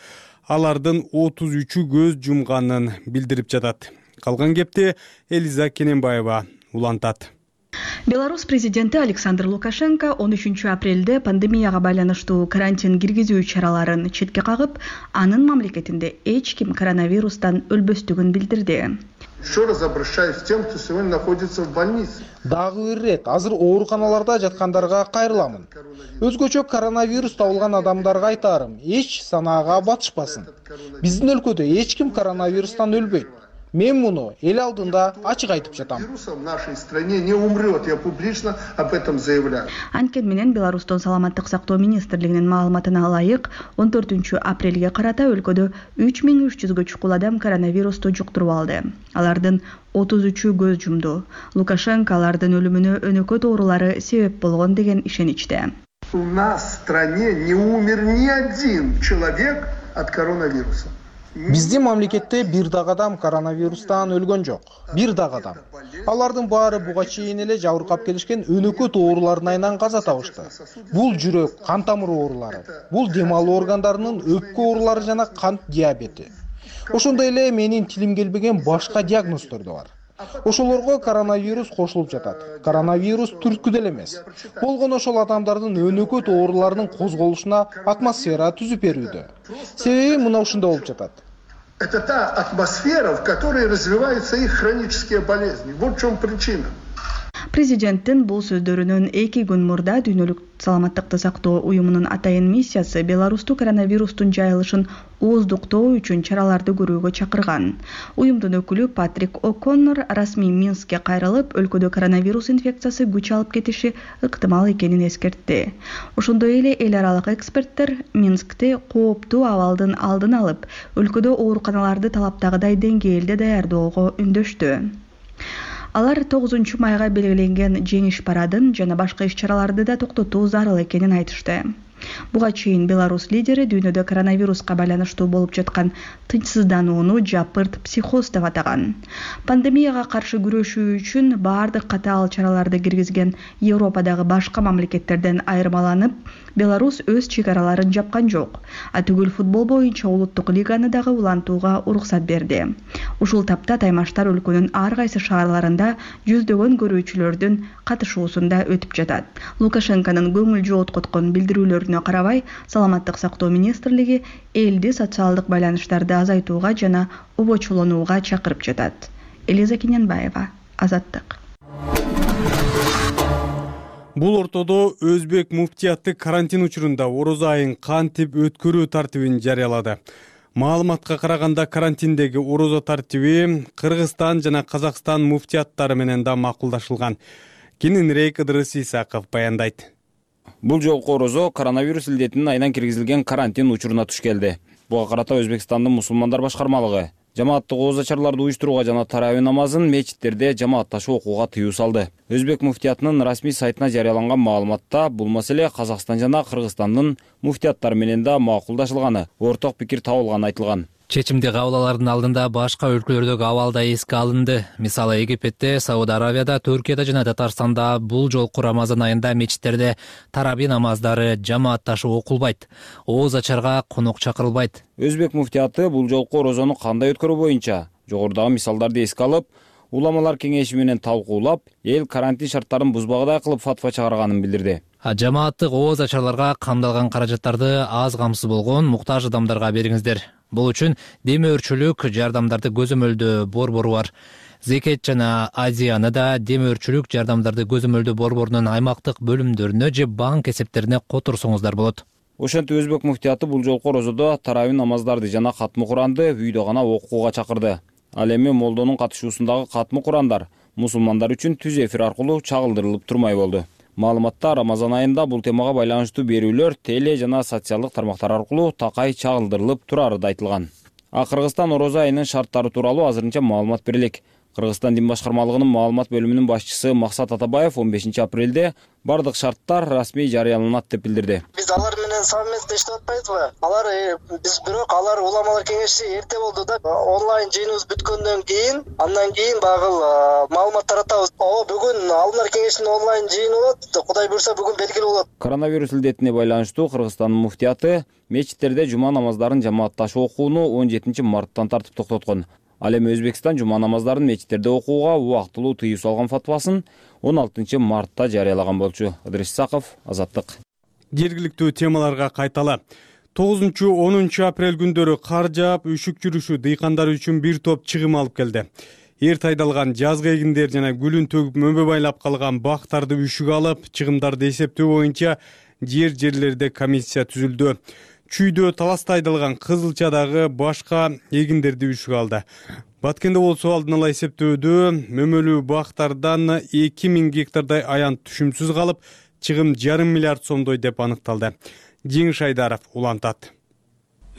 алардын отуз үчү көз жумганын билдирип жатат. Калган кепти Элиза Кененбаева улантат. Беларусь президенти Александр Лукашенко он үчүнчү апрелде пандемияга байланыштуу карантин киргизүү чараларын четке кагып, анын мамлекетинде эч ким коронавирустан өлбөстүгүн билдирди. Еще раз обращаюсь к тем, кто сегодня находится в больнице. Дагы бир ирет азыр ооруканаларда жаткандарга кайрыламын. Өзгөчө коронавирус табылган адамдарга айтарым, эч санаага батышпасын. Биздин өлкөдө эч ким коронавирустан өлбөйт. Мен муну эл алдында ачык айтып жатам. В нашей стране не умрет, я публично об этом заявляю. Анткени менен Беларустун саламаттык сактоо министрлигинин маалыматына ылайык, он төртүнчү апрелге карата өлкөдө үч миң үч жүзгө чукул адам коронавирусту жуктуруп алды. Алардын отуз үчү көз жумду. Лукашенко алардын өлүмүнө өнөкөт оорулары себеп болгон деген ишеничте. У нас в стране не умер ни один человек от коронавируса. Биздин мамлекетте бир дагы адам коронавирустан өлгөн жок. Бир дагы адам. Алардын баары буга чейин эле жабыркап келишкен өнөкөт оорулардын айынан каза табышты. Бул жүрөк, кан тамыр оорулары, бул дем алуу органдарынын өпкө оорулары жана кант диабети. Ошондой эле менин тилим келбеген башка диагноздор да бар. Ошолорго коронавирус кошулуп жатат. Коронавирус түрткү деле эмес. Болгону ошол адамдардын өнөкөт ооруларынын козголушуна атмосфера түзүп берүүдө. Себеби мына ушундай болуп жатат. Это та атмосфера, в которой развиваются их хронические болезни. Вот в чем причина. Президенттин бул сөздөрүнөн эки күн мурда Дүйнөлүк саламаттыкты сактоо уюмунун атайын миссиясы Беларусту коронавирустун жайылышын ооздуктоо үчүн чараларды көрүүгө чакырган. Уюмдун өкүлү Патрик О'Коннор расмий Минскке кайрылып, өлкөдө коронавирус инфекциясы күч алып кетиши ыктымал экенин эскертти. Ошондой эле эл аралык эксперттер Минскте кооптуу абалдын алдын алып, өлкөдө ооруканаларды талаптагыдай деңгээлде даярдоого үндөштү. Алар тогузунчу майга белгиленген жеңиш парадын жана башка иш-чараларды да токтотуу зарыл экенин айтышты. Буга чейин Беларусь лидери дүйнөдө коронавируска байланыштуу болуп жаткан тынчсызданууну жапырт психоз деп атаган. Пандемияга каршы күрөшүү үчүн баардык катаал чараларды киргизген Европадагы башка мамлекеттерден айырмаланып, Беларусь өз чегараларын жапкан жок. Атүгүл футбол боюнча улуттук лиганы дагы улантууга уруксат берди. Ушул тапта таймаштар өлкөнүн ар кайсы шаарларында жүздөгөн көрүүчүлөрдүн катышуусунда өтүп жатат. Лукашенконун көңүл жооткоткон билдирүүлөрүнө карабай, саламаттык сактоо министрлиги элди социалдык байланыштарды азайтууга жана обочолонууга чакырып жатат. Элиза Кененбаева, Азаттык. Бул ортодо Өзбек муфтияты карантин учурунда орозо айын кантип өткөрүү тартибин жарыялады. Маалыматка караганда карантиндеги орозо тартиби Кыргызстан жана Казакстан муфтияттары менен да макулдашылган. Кененирээк Ыдырыс Исаков баяндайт. Бул жолку орозо коронавирус илдетинин айынан киргизилген карантин учуруна туш келди. Буга карата Өзбекстандын мусулмандар башкармалыгы жамааттык ооз ачарларды уюштурууга жана таравih намазын мечиттерде жамаатташып окууга тыюу салды. Өзбек муфтиятынын расмий сайтына жарыяланган маалыматта бул маселе Казакстан жана Кыргызстандын муфтияттары менен да макулдашылганы, орток пикир табылганы айтылган. Чечимди кабыл алаардын алдында башка өлкөлөрдөгү абал да эске алынды. Мисалы Египетте, Сауд Аравияда, Түркияда жана Татарстанда бул жолку Рамазан айында мечиттерде тараби намаздары жамаатташып окулбайт. Ооз ачарга конок чакырылбайт. Өзбек муфтияты бул жолку орозону кандай өткөрүү боюнча жогорудагы мисалдарды эске алып, уламалар кеңеши менен талкуулап, эл карантин шарттарын бузбагыдай кылып фатва чыгарганын билдирди. Жамааттык ооз ачарларга камдалган каражаттарды аз камсыз болгон муктаж адамдарга бериңиздер. Бул үчүн демөөрчүлүк жардамдарды көзөмөлдөө борбору бар. Зекет жана Азияны да демөөрчүлүк жардамдарды көзөмөлдөө борборунун аймактык бөлүмдөрүнө же банк эсептерине которсоңуздар болот. Ошентип Өзбек муфтияты бул жолку орозодо таравih намаздарды жана катмы Куранды үйдө гана окууга чакырды. Ал эми молдонун катышуусундагы катмы Курандар мусулмандар үчүн түз эфир аркылуу чагылдырылып турмай болду. Маалыматта Рамазан айында бул темага байланыштуу берүүлөр теле жана социалдык тармактар аркылуу такай чагылдырылып турары да айтылган. А Кыргызстан орозо айынын шарттары тууралуу азырынча маалымат берелик. Кыргызстан дин башкармалыгынын маалымат бөлүмүнүн башчысы Максат Атабаев он бешинчи апрелде бардык шарттар расмий жарыяланат деп билдирди. Биз алар менен совместно иштеп атпайбызбы? Алар биз бирок алар уламалар кеңеши эрте болду да. Онлайн жыйыныбыз бүткөндөн кийин, андан кийин багыл маалымат таратабыз. О, бүгүн алымдар кеңешинин онлайн жыйыны болот. Кудай буйрса бүгүн белгилүү болот. Коронавирус илдетине байланыштуу Кыргызстандын муфтияты мечиттерде жума намаздарын жамаатташып окууну он жетинчи марттан тартып токтоткон. Ал эми Өзбекстан жума намаздарын мечиттерде окууга убактылуу тыюу салган фатвасын он алтынчы мартта жарыялаган болчу. Ыдырыс Исаков, Азаттык. Жергиликтүү темаларга кайталы. тогузунчу онунчу апрель күндөрү кар жаап, үшүк жүрүшү дыйкандар үчүн бир топ чыгым алып келди. Эрте айдалган жазгы эгиндер жана гүлүн төгүп мөмө байлап калган бактарды үшүк алып, чыгымдарды эсептөө боюнча жер жерлерде комиссия түзүлдү. Чүйдө, Таласта айдалган кызылчадагы башка эгиндерди үшүк алды. Баткенде болсо алдын ала эсептөөдө мөмөлүү бактардан эки миң гектардай аянт түшүмсүз калып, чыгым жарым миллиард сомдой деп аныкталды. Жеңиш Айдаров улантат.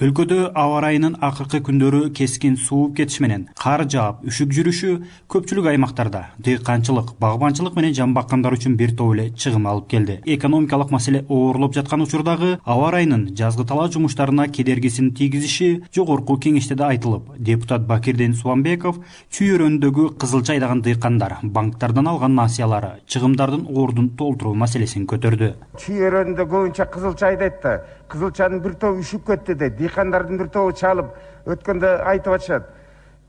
Өлкөдө аба ырайынын акыркы күндөрү кескин сууп кетиши менен кар жаап, үшүк жүрүшү көпчүлүк аймактарда дыйканчылык, багбанчылык менен жан баккандар үчүн бир топ эле чыгым алып келди. Экономикалык маселе оорлоп жаткан учурдагы аба ырайынын жазгы талаа жумуштарына кедергисин тийгизиши жогорку кеңеште да айтылып, депутат Бакирден Суамбеков чүй өрөөнүндөгү кызылча айдаган дыйкандар банктардан алган насыялары, чыгымдардын ордун толтуруу маселесин көтөрдү. Чүй өрөөнүндө көбүнчө кызылча айдайт да, кызылчанын бир тобу үшүп кетти дейт. Дыйкандардын бир тобу чалып өткөндө айтып атышат.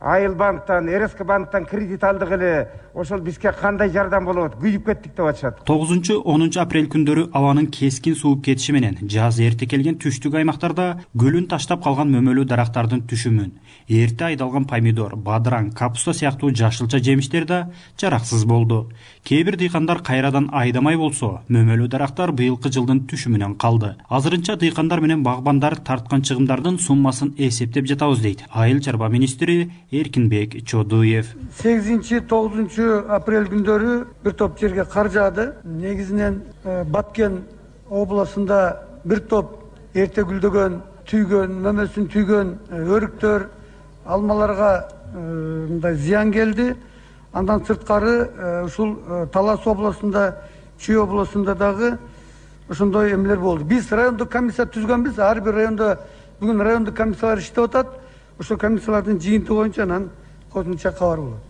Айыл банктан, РСК банктан кредит алдык эле, ошол бизге кандай жардам болот, күйүп кеттик деп атышат. тогузунчу онунчу апрель күндөрү абанын кескин сууп кетиши менен жаз эрте келген түштүк аймактарда гүлүн таштап калган мөмөлүү дарактардын түшүмүн, эрте айдалган помидор, бадыраң, капуста сыяктуу жашылча жемиштер да жараксыз болду. Кээ бир дыйкандар кайрадан айдамай болсо, мөмөлүү дарактар быйылкы жылдын түшүмүнөн калды. Азырынча дыйкандар менен багбандар тарткан чыгымдардын суммасын эсептеп жатабыз дейт айыл чарба министри Эркинбек Чодуев. сегизинчи тогузунчу апрель күндөрү бир топ жерге кар жаады. Негизинен Баткен областында бир топ эрте гүлдөгөн, түйгөн, мөмөсүн түйгөн өрүктөр, алмаларга мындай зыян келди. Андан сырткары ушул Талас областында, Чүй областында дагы ошондой эмелер болду. Биз райондук комиссия түзгөнбүз. Ар бир райондо бүгүн райондук комиссиялар иштеп атат. Ошол комиссиялардын жыйынтыгы боюнча анан кошумча кабар болот.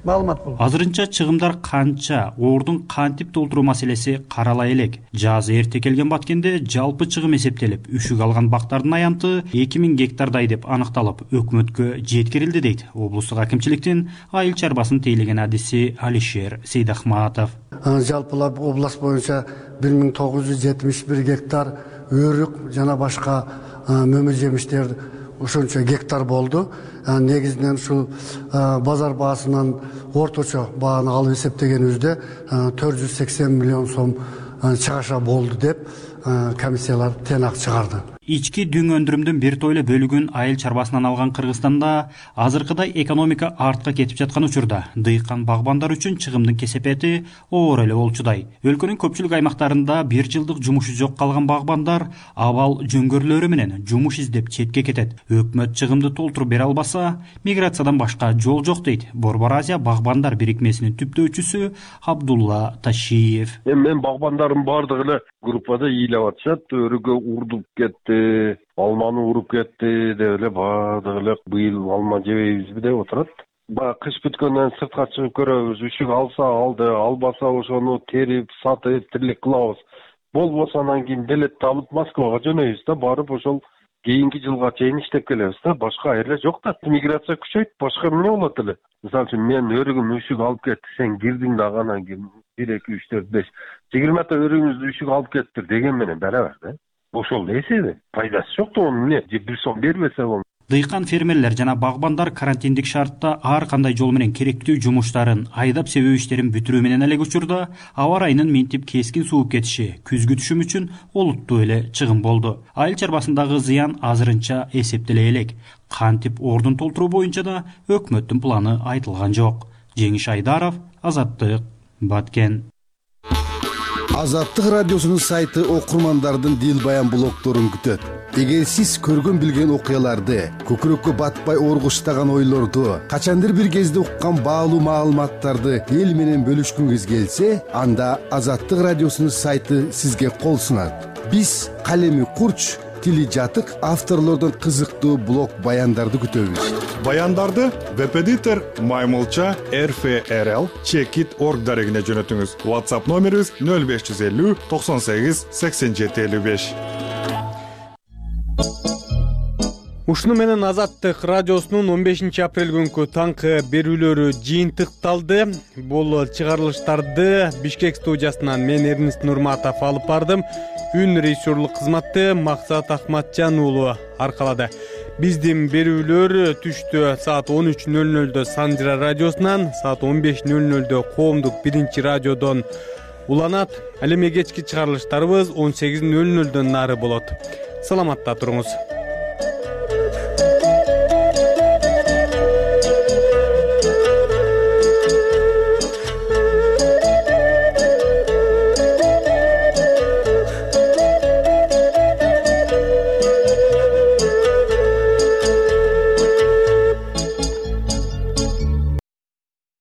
Маалымат болот. Азырынча чыгымдар канча, ордун кантип толтуруу маселеси каралай элек. Жаз эрте келген Баткенде жалпы чыгым эсептелип, үшүк алган бактардын аянты эки миң гектардай деп аныкталып, өкмөткө жеткирилди дейт облустук акимчиликтин айыл чарбасын тейлеген адиси Алишер Сейдахматов. Жалпылап област боюнча бир миң тогуз жүз жетимиш бир гектар өрүк жана башка мөмө жемиштер ошончо гектар болду. Негизинен ушул базар баасынан орточо бааны алып эсептегенибизде төрт жүз сексен миллион сом чыгаша болду деп комиссиялар тыйнак чыгарды. Ички дүң өндүрүмдүн бир топ эле бөлүгүн айыл чарбасынан алган Кыргызстанда азыркыдай экономика артка кетип жаткан учурда дыйкан багбандар үчүн чыгымдын кесепети оор эле болчудай. Өлкөнүн көпчүлүк аймактарында бир жылдык жумушу жок калган багбандар абал жөңгөрлөрү менен жумуш издеп четке кетет. Өкмөт чыгымды толтуруп бере албаса, миграциядан башка жол жок дейт Борбор Азия багбандар бирикмесинин түптөөчүсү Абдулла Ташиев. Мен багбандардын баардыгы эле группада ыйлап атышат, өрүгө урдуп кетти, алманы уруп кетти деп эле баардыгы эле быйыл алма жебейбизби деп отурат. Баягы кыш бүткөндөн сыртка чыгып көрөбүз, үшүк алса алды, албаса ошону терип, сатып, тирлик кылабыз. Болбосо анан кийин билетти алып Москвага жөнөйбүз да, барып ошол кийинки жылга чейин иштеп келебиз да, башка айрла жок да. Миграция күчөйт, башка эмне болот эле? Мисалы үчүн мен өрүгүм үшүк алып кетти, сен кирдиң дагы анан кийин бир эки үч төрт беш жыйырмата өрүгүңүздү үшүк алып кеттир деген менен барабар да. Ошол эсеби, пайдасы жок да, onu эмне бир сом бербесе болмойт. Дыйкан фермерлер жана багбандар карантиндик шартта ар кандай жол менен керектүү жумуштарын, айдап себүү иштерин бүтүрүү менен элек учурда аба ырайынын минтип кескин сууп кетиши күзгү түшүм үчүн олуттуу эле чыгым болду. Айыл чарбасындагы зыян азырынча эсептеле элек. Кантип ордун толтуруу боюнча да өкмөттүн планы айтылган жок. Жеңиш Айдаров, Азаттык, Баткен. Азаттык радиосунун сайты окурмандардын дил баян блогдорун күтөт. Эгер сиз көргөн билген окуяларды, көкүрөккө батпай оргуштаган ойлорду, качандыр бир кезде уккан баалуу маалыматтарды эл менен бөлүшкүңүз келсе, анда Азаттык радиосунун сайты сизге кол сунат. Биз калеми курч, тили жатык авторлордон кызыктуу блог баяндарды күтөбүз. Баяндарды веб-эдитор Маймылча эр эф эр эл чекит точка орг дарегине жөнөтүңүз. WhatsApp номерибиз нөл беш жүз элүү токсон сегиз сексен жети элүү беш. Ушуну менен Азаттык радиосунун он бешинчи апрель күнкү таңкы берүүлөрү жыйынтыкталды. Бул чыгарылыштарды Бишкек студиясынан мен Эрнест Нурматов алып бардым. Үн режиссерлук кызматты Максат Ахматжан уулу аркалады. Биздин берүүлөр түштө саат он үч нөл нөлдө Санжыра радиосунан, саат он беш нөл нөлдө Коомдук биринчи радиодон уланат. Ал эми кечки чыгарылыштарыбыз он сегиз нөл нөлдөн нары болот. Саламатта туруңуз.